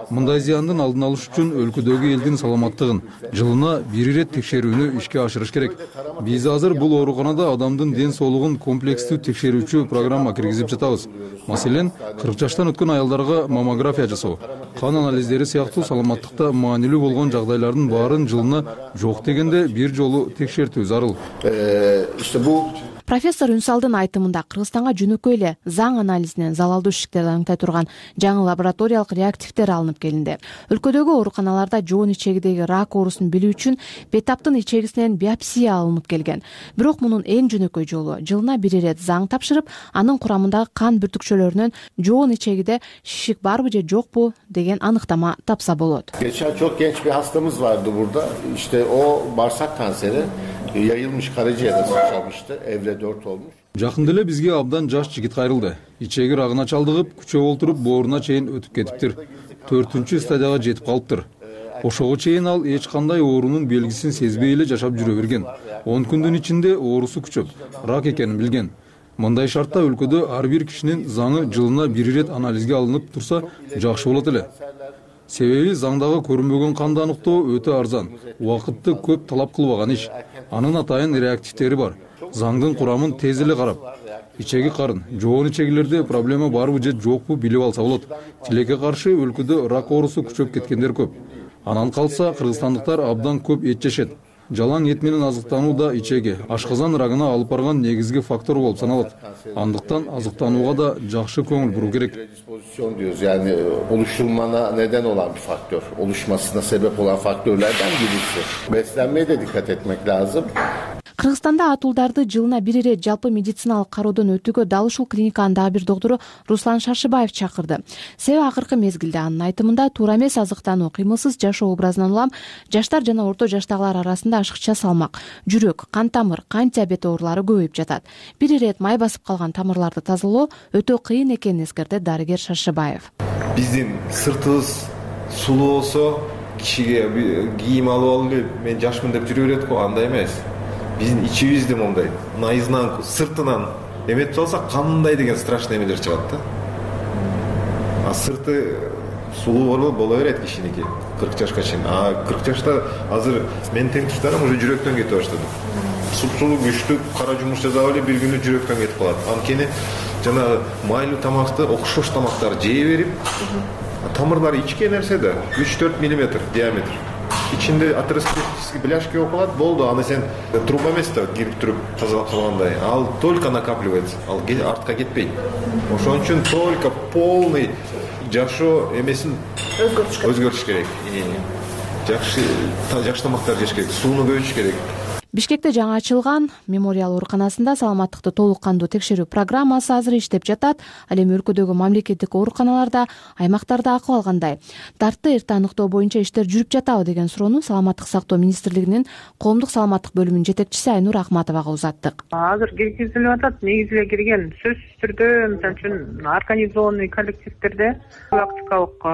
Мындай зыяндын алдын алыш үчүн өлкөдөгү элдин саламаттыгын жылына 1 ирет текшерүүнү ишке ашырыш керек. Биз азыр бул ооруканада адамдын ден соолугун комплекстүү текшерүүчү программа киргизип жатабыз. Маселен, 40 жаштан өткөн аялдарга маммография жасоо, кан анализдери сыяктуу саламаттыкта маанилүү болгон жагдайлардын баарын жылына жок дегенде бир жолу текшертүү зарыл. Профессор Үнсалдын айтымында Кыргызстанга жөнөкөй эле заң анализинен залалдуу ишиктерди аңтай турган жаңы лабораториялык реактивдер алынып келинди. Өлкөдөгү ооруканаларда жоон ичегидеги рак оорусун билүү үчүн бетаптын ичегисинен биопсия алынып келген. Бирок мунун эң жөнөкөй жолу жылына 1 ирет заң тапшырып, анын курамындагы кан бүртүкчөлөрүнөн жоон ичегиде шишик барбы же жокпу деген аныктама тапса болот. Geçen çok genç bir hastamız vardı burada. İşte o bağırsak kanseri yayılmış karaciğere sıçramıştı. Evre 4 olmuş. Жакында эле бизге абдан жаш жигит кайрылды. Ичеги рагына чалдыгып, күчөп олтуруп бооруна чейин өтүп кетиптир. 4-чү стадияга жетип калыптыр. Ошого чейин ал эч кандай оорунун белгисин сезбей эле жашап жүрө берген. 10 күндүн ичинде оорусу күчөп, рак экенин билген. Мындай шартта өлкөдө ар бир кишинин заңы жылына 1 ирет анализге алынып турса, жакшы болот эле. Себеби заңдагы көрүнбөгөн канды аныктоо өтө арзан, убакытты көп талап кылбаган иш. Анын атайын реактивдери бар. Заңдын курамын тез эле карап, ичеги карын, жоон ичегилерде проблема барбы же жокпу билип алса болот. Тилекке каршы өлкөдө рак оорусу күчөп кеткендер көп. Анан калса кыргызстандыктар абдан көп эт жешет. Жалаң эт менен азыктануу да ичеги, ашказан рагына алып барган негизги фактор болуп саналат. Андыктан азыктанууга да жакшы көңүл буруу керек. Yani oluşulmana neden olan bir faktör, oluşmasına sebep olan faktörlerden birisi. Beslenmeye de dikkat etmek lazım. Кыргызстанда атуулдарды жылына 1 ирет жалпы медициналык кароодон өтүүгө дал ушул клиниканын дагы бир доктору Руслан Шаршыбаев чакырды. Себеби акыркы мезгилде анын айтымында туура эмес азыктануу, кыймылсыз жашоо образынан улам жаштар жана орто жаштагылар арасында ашыкча салмак, жүрөк, кан тамыр, кан диабети оорулары көбөйүп жатат. 1 ирет май басып калган тамырларды тазалоо өтө кыйын экенин эскерди дарыгер Шаршыбаев. Биздин сыртыбыз сулуу болсо, кишиге кийим алып алып мен жашмын деп жүрө берет го, андай эмес. Биздин ичибизде мондай наизнанку сыртынан эметип алсак кандай деген страшный эмелер чыгат да. А сырты сулуу боло берет кишиники 40 жашка чейин. А 40 жашта азыр менин тең туштарым уже жүрөктөн кетип баштады. Сулуу күчтүү кара жумуш жасап эле бир күнү жүрөктөн кетип калат. Анткени жана майлуу тамакты, окшош тамактарды жей берип, тамырлары ичке нерсе да 3-4 мм диаметр. İçinde атеросклеротический бляшки околат, болду, аны сен труба эмес да кирип туруп тазалап калгандай. Ал только накапливается, ал артка кетпейт. Ошон үчүн только полный жашоо эмесин өзгөртүш керек. Жакшы тамактар жеш керек, сууну көбөйтүш керек. Бишкекте жаңы ачылган мемориал ооруканасында саламаттыкты толук кандуу текшерүү программасы азыр иштеп жатат. Ал эми өлкөдөгү мамлекеттик ооруканаларда, аймактарда акыбал кандай? Дартты эрте аныктоо боюнча иштер жүрүп жатабы деген суроону Саламаттык сактоо министрлигинин коомдук саламаттык бөлүмүнүн жетекчиси Айнур Ахматовага узаттык. Азыр киргизилип атат, негизи эле кирген. Сөзсүз түрдө, мисалы үчүн организованный коллективдерде профилактикалык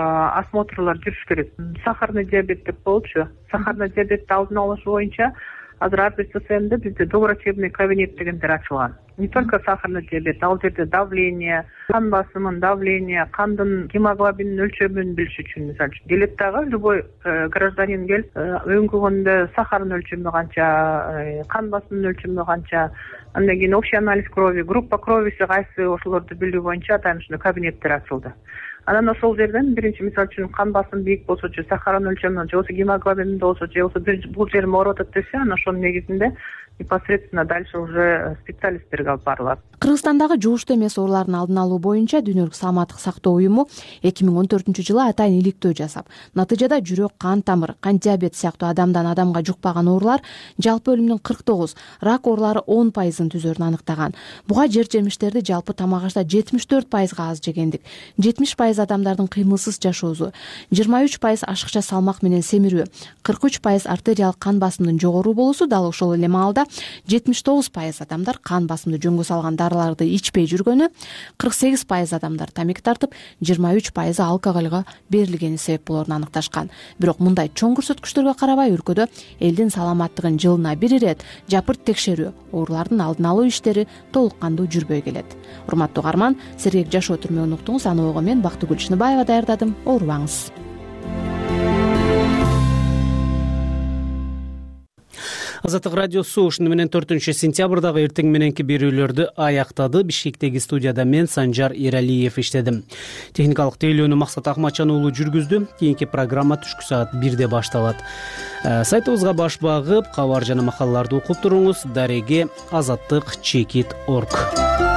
осмотрлар жүрүш керек. Сахарный диабет деп болчу. Сахарный диабетти алдын алыш боюнча азыр ар бир ССМде бизде доврачебный кабинет дегендер ачылган. Не только сахарный диабет, ал жерде давление, кан басымын, давление, кандын гемоглобинин өлчөмүн билиш үчүн, мисалы үчүн келет дагы любой гражданин келип, өңгөгөндө сахарынын өлчөмү канча, кан басымынын өлчөмү канча, андан кийин общий анализ крови, группа кровиси кайсы, ошолорду билүү боюнча атайын ушундай кабинеттер ачылды. Анан ошол жерден биринчи мисалы үчүн кан басым бийик болсо же сахарынын өлчөмү же болбосо гемоглобин болсо же болбосо бул жерим ооруп атат десе, анан ошонун негизинде непосредственно дальше уже специалисттерге алып барылат. Кыргызстандагы жугуштуу эмес оорулардын алдын алуу боюнча Дүйнөлүк саламаттык сактоо уюму 2014-жылы атайын иликтөө жасап, натыйжада жүрөк, кан тамыр, кан диабет сыяктуу адамдан адамга жукпаган оорулар жалпы өлүмдүн 49, рак оорулары 10% түзөрүн аныктаган. Буга жер-жемиштерди жалпы тамак ашта 74% аз жегендик, 70% адамдардын кыймылсыз жашоосу, 23% ашыкча салмак менен семирүү, 43% артериялык кан басымдын жогору болуусу, дал ошол эле маалда 79% адамдар кан басымды жөнгө салган дарыларды ичпей жүргөнү, 48% адамдар тамеки тартып, 23% алкоголго берилгени себеп болоорун аныкташкан. Бирок мындай чоң көрсөткүчтөргө карабай өлкөдө элдин саламаттыгын жылына 1 ирет жапырт текшерүү, оорулардын алдын алуу иштери толук кандуу жүрбөй келет. Урматтуу угарман, сергек жашоо түрмөгүн уктуңуз. Аны ого мен Бактыгүл Чыныбаева даярдадым. Оорубаңыз. Азаттык радиосу ушуну менен 4-сентябрдагы эртең мененки берүүлөрдү аяктады. Бишкектеги студияда мен Санжар Эралиев иштедим. Техникалык тейлөөнү Максат Акматжан уулу жүргүздү. Кийинки программа түшкү саат 1-де башталат. Сайтыбызга баш багып, кабар жана макалаларды окуп туруңуз. Дареге азаттык.org.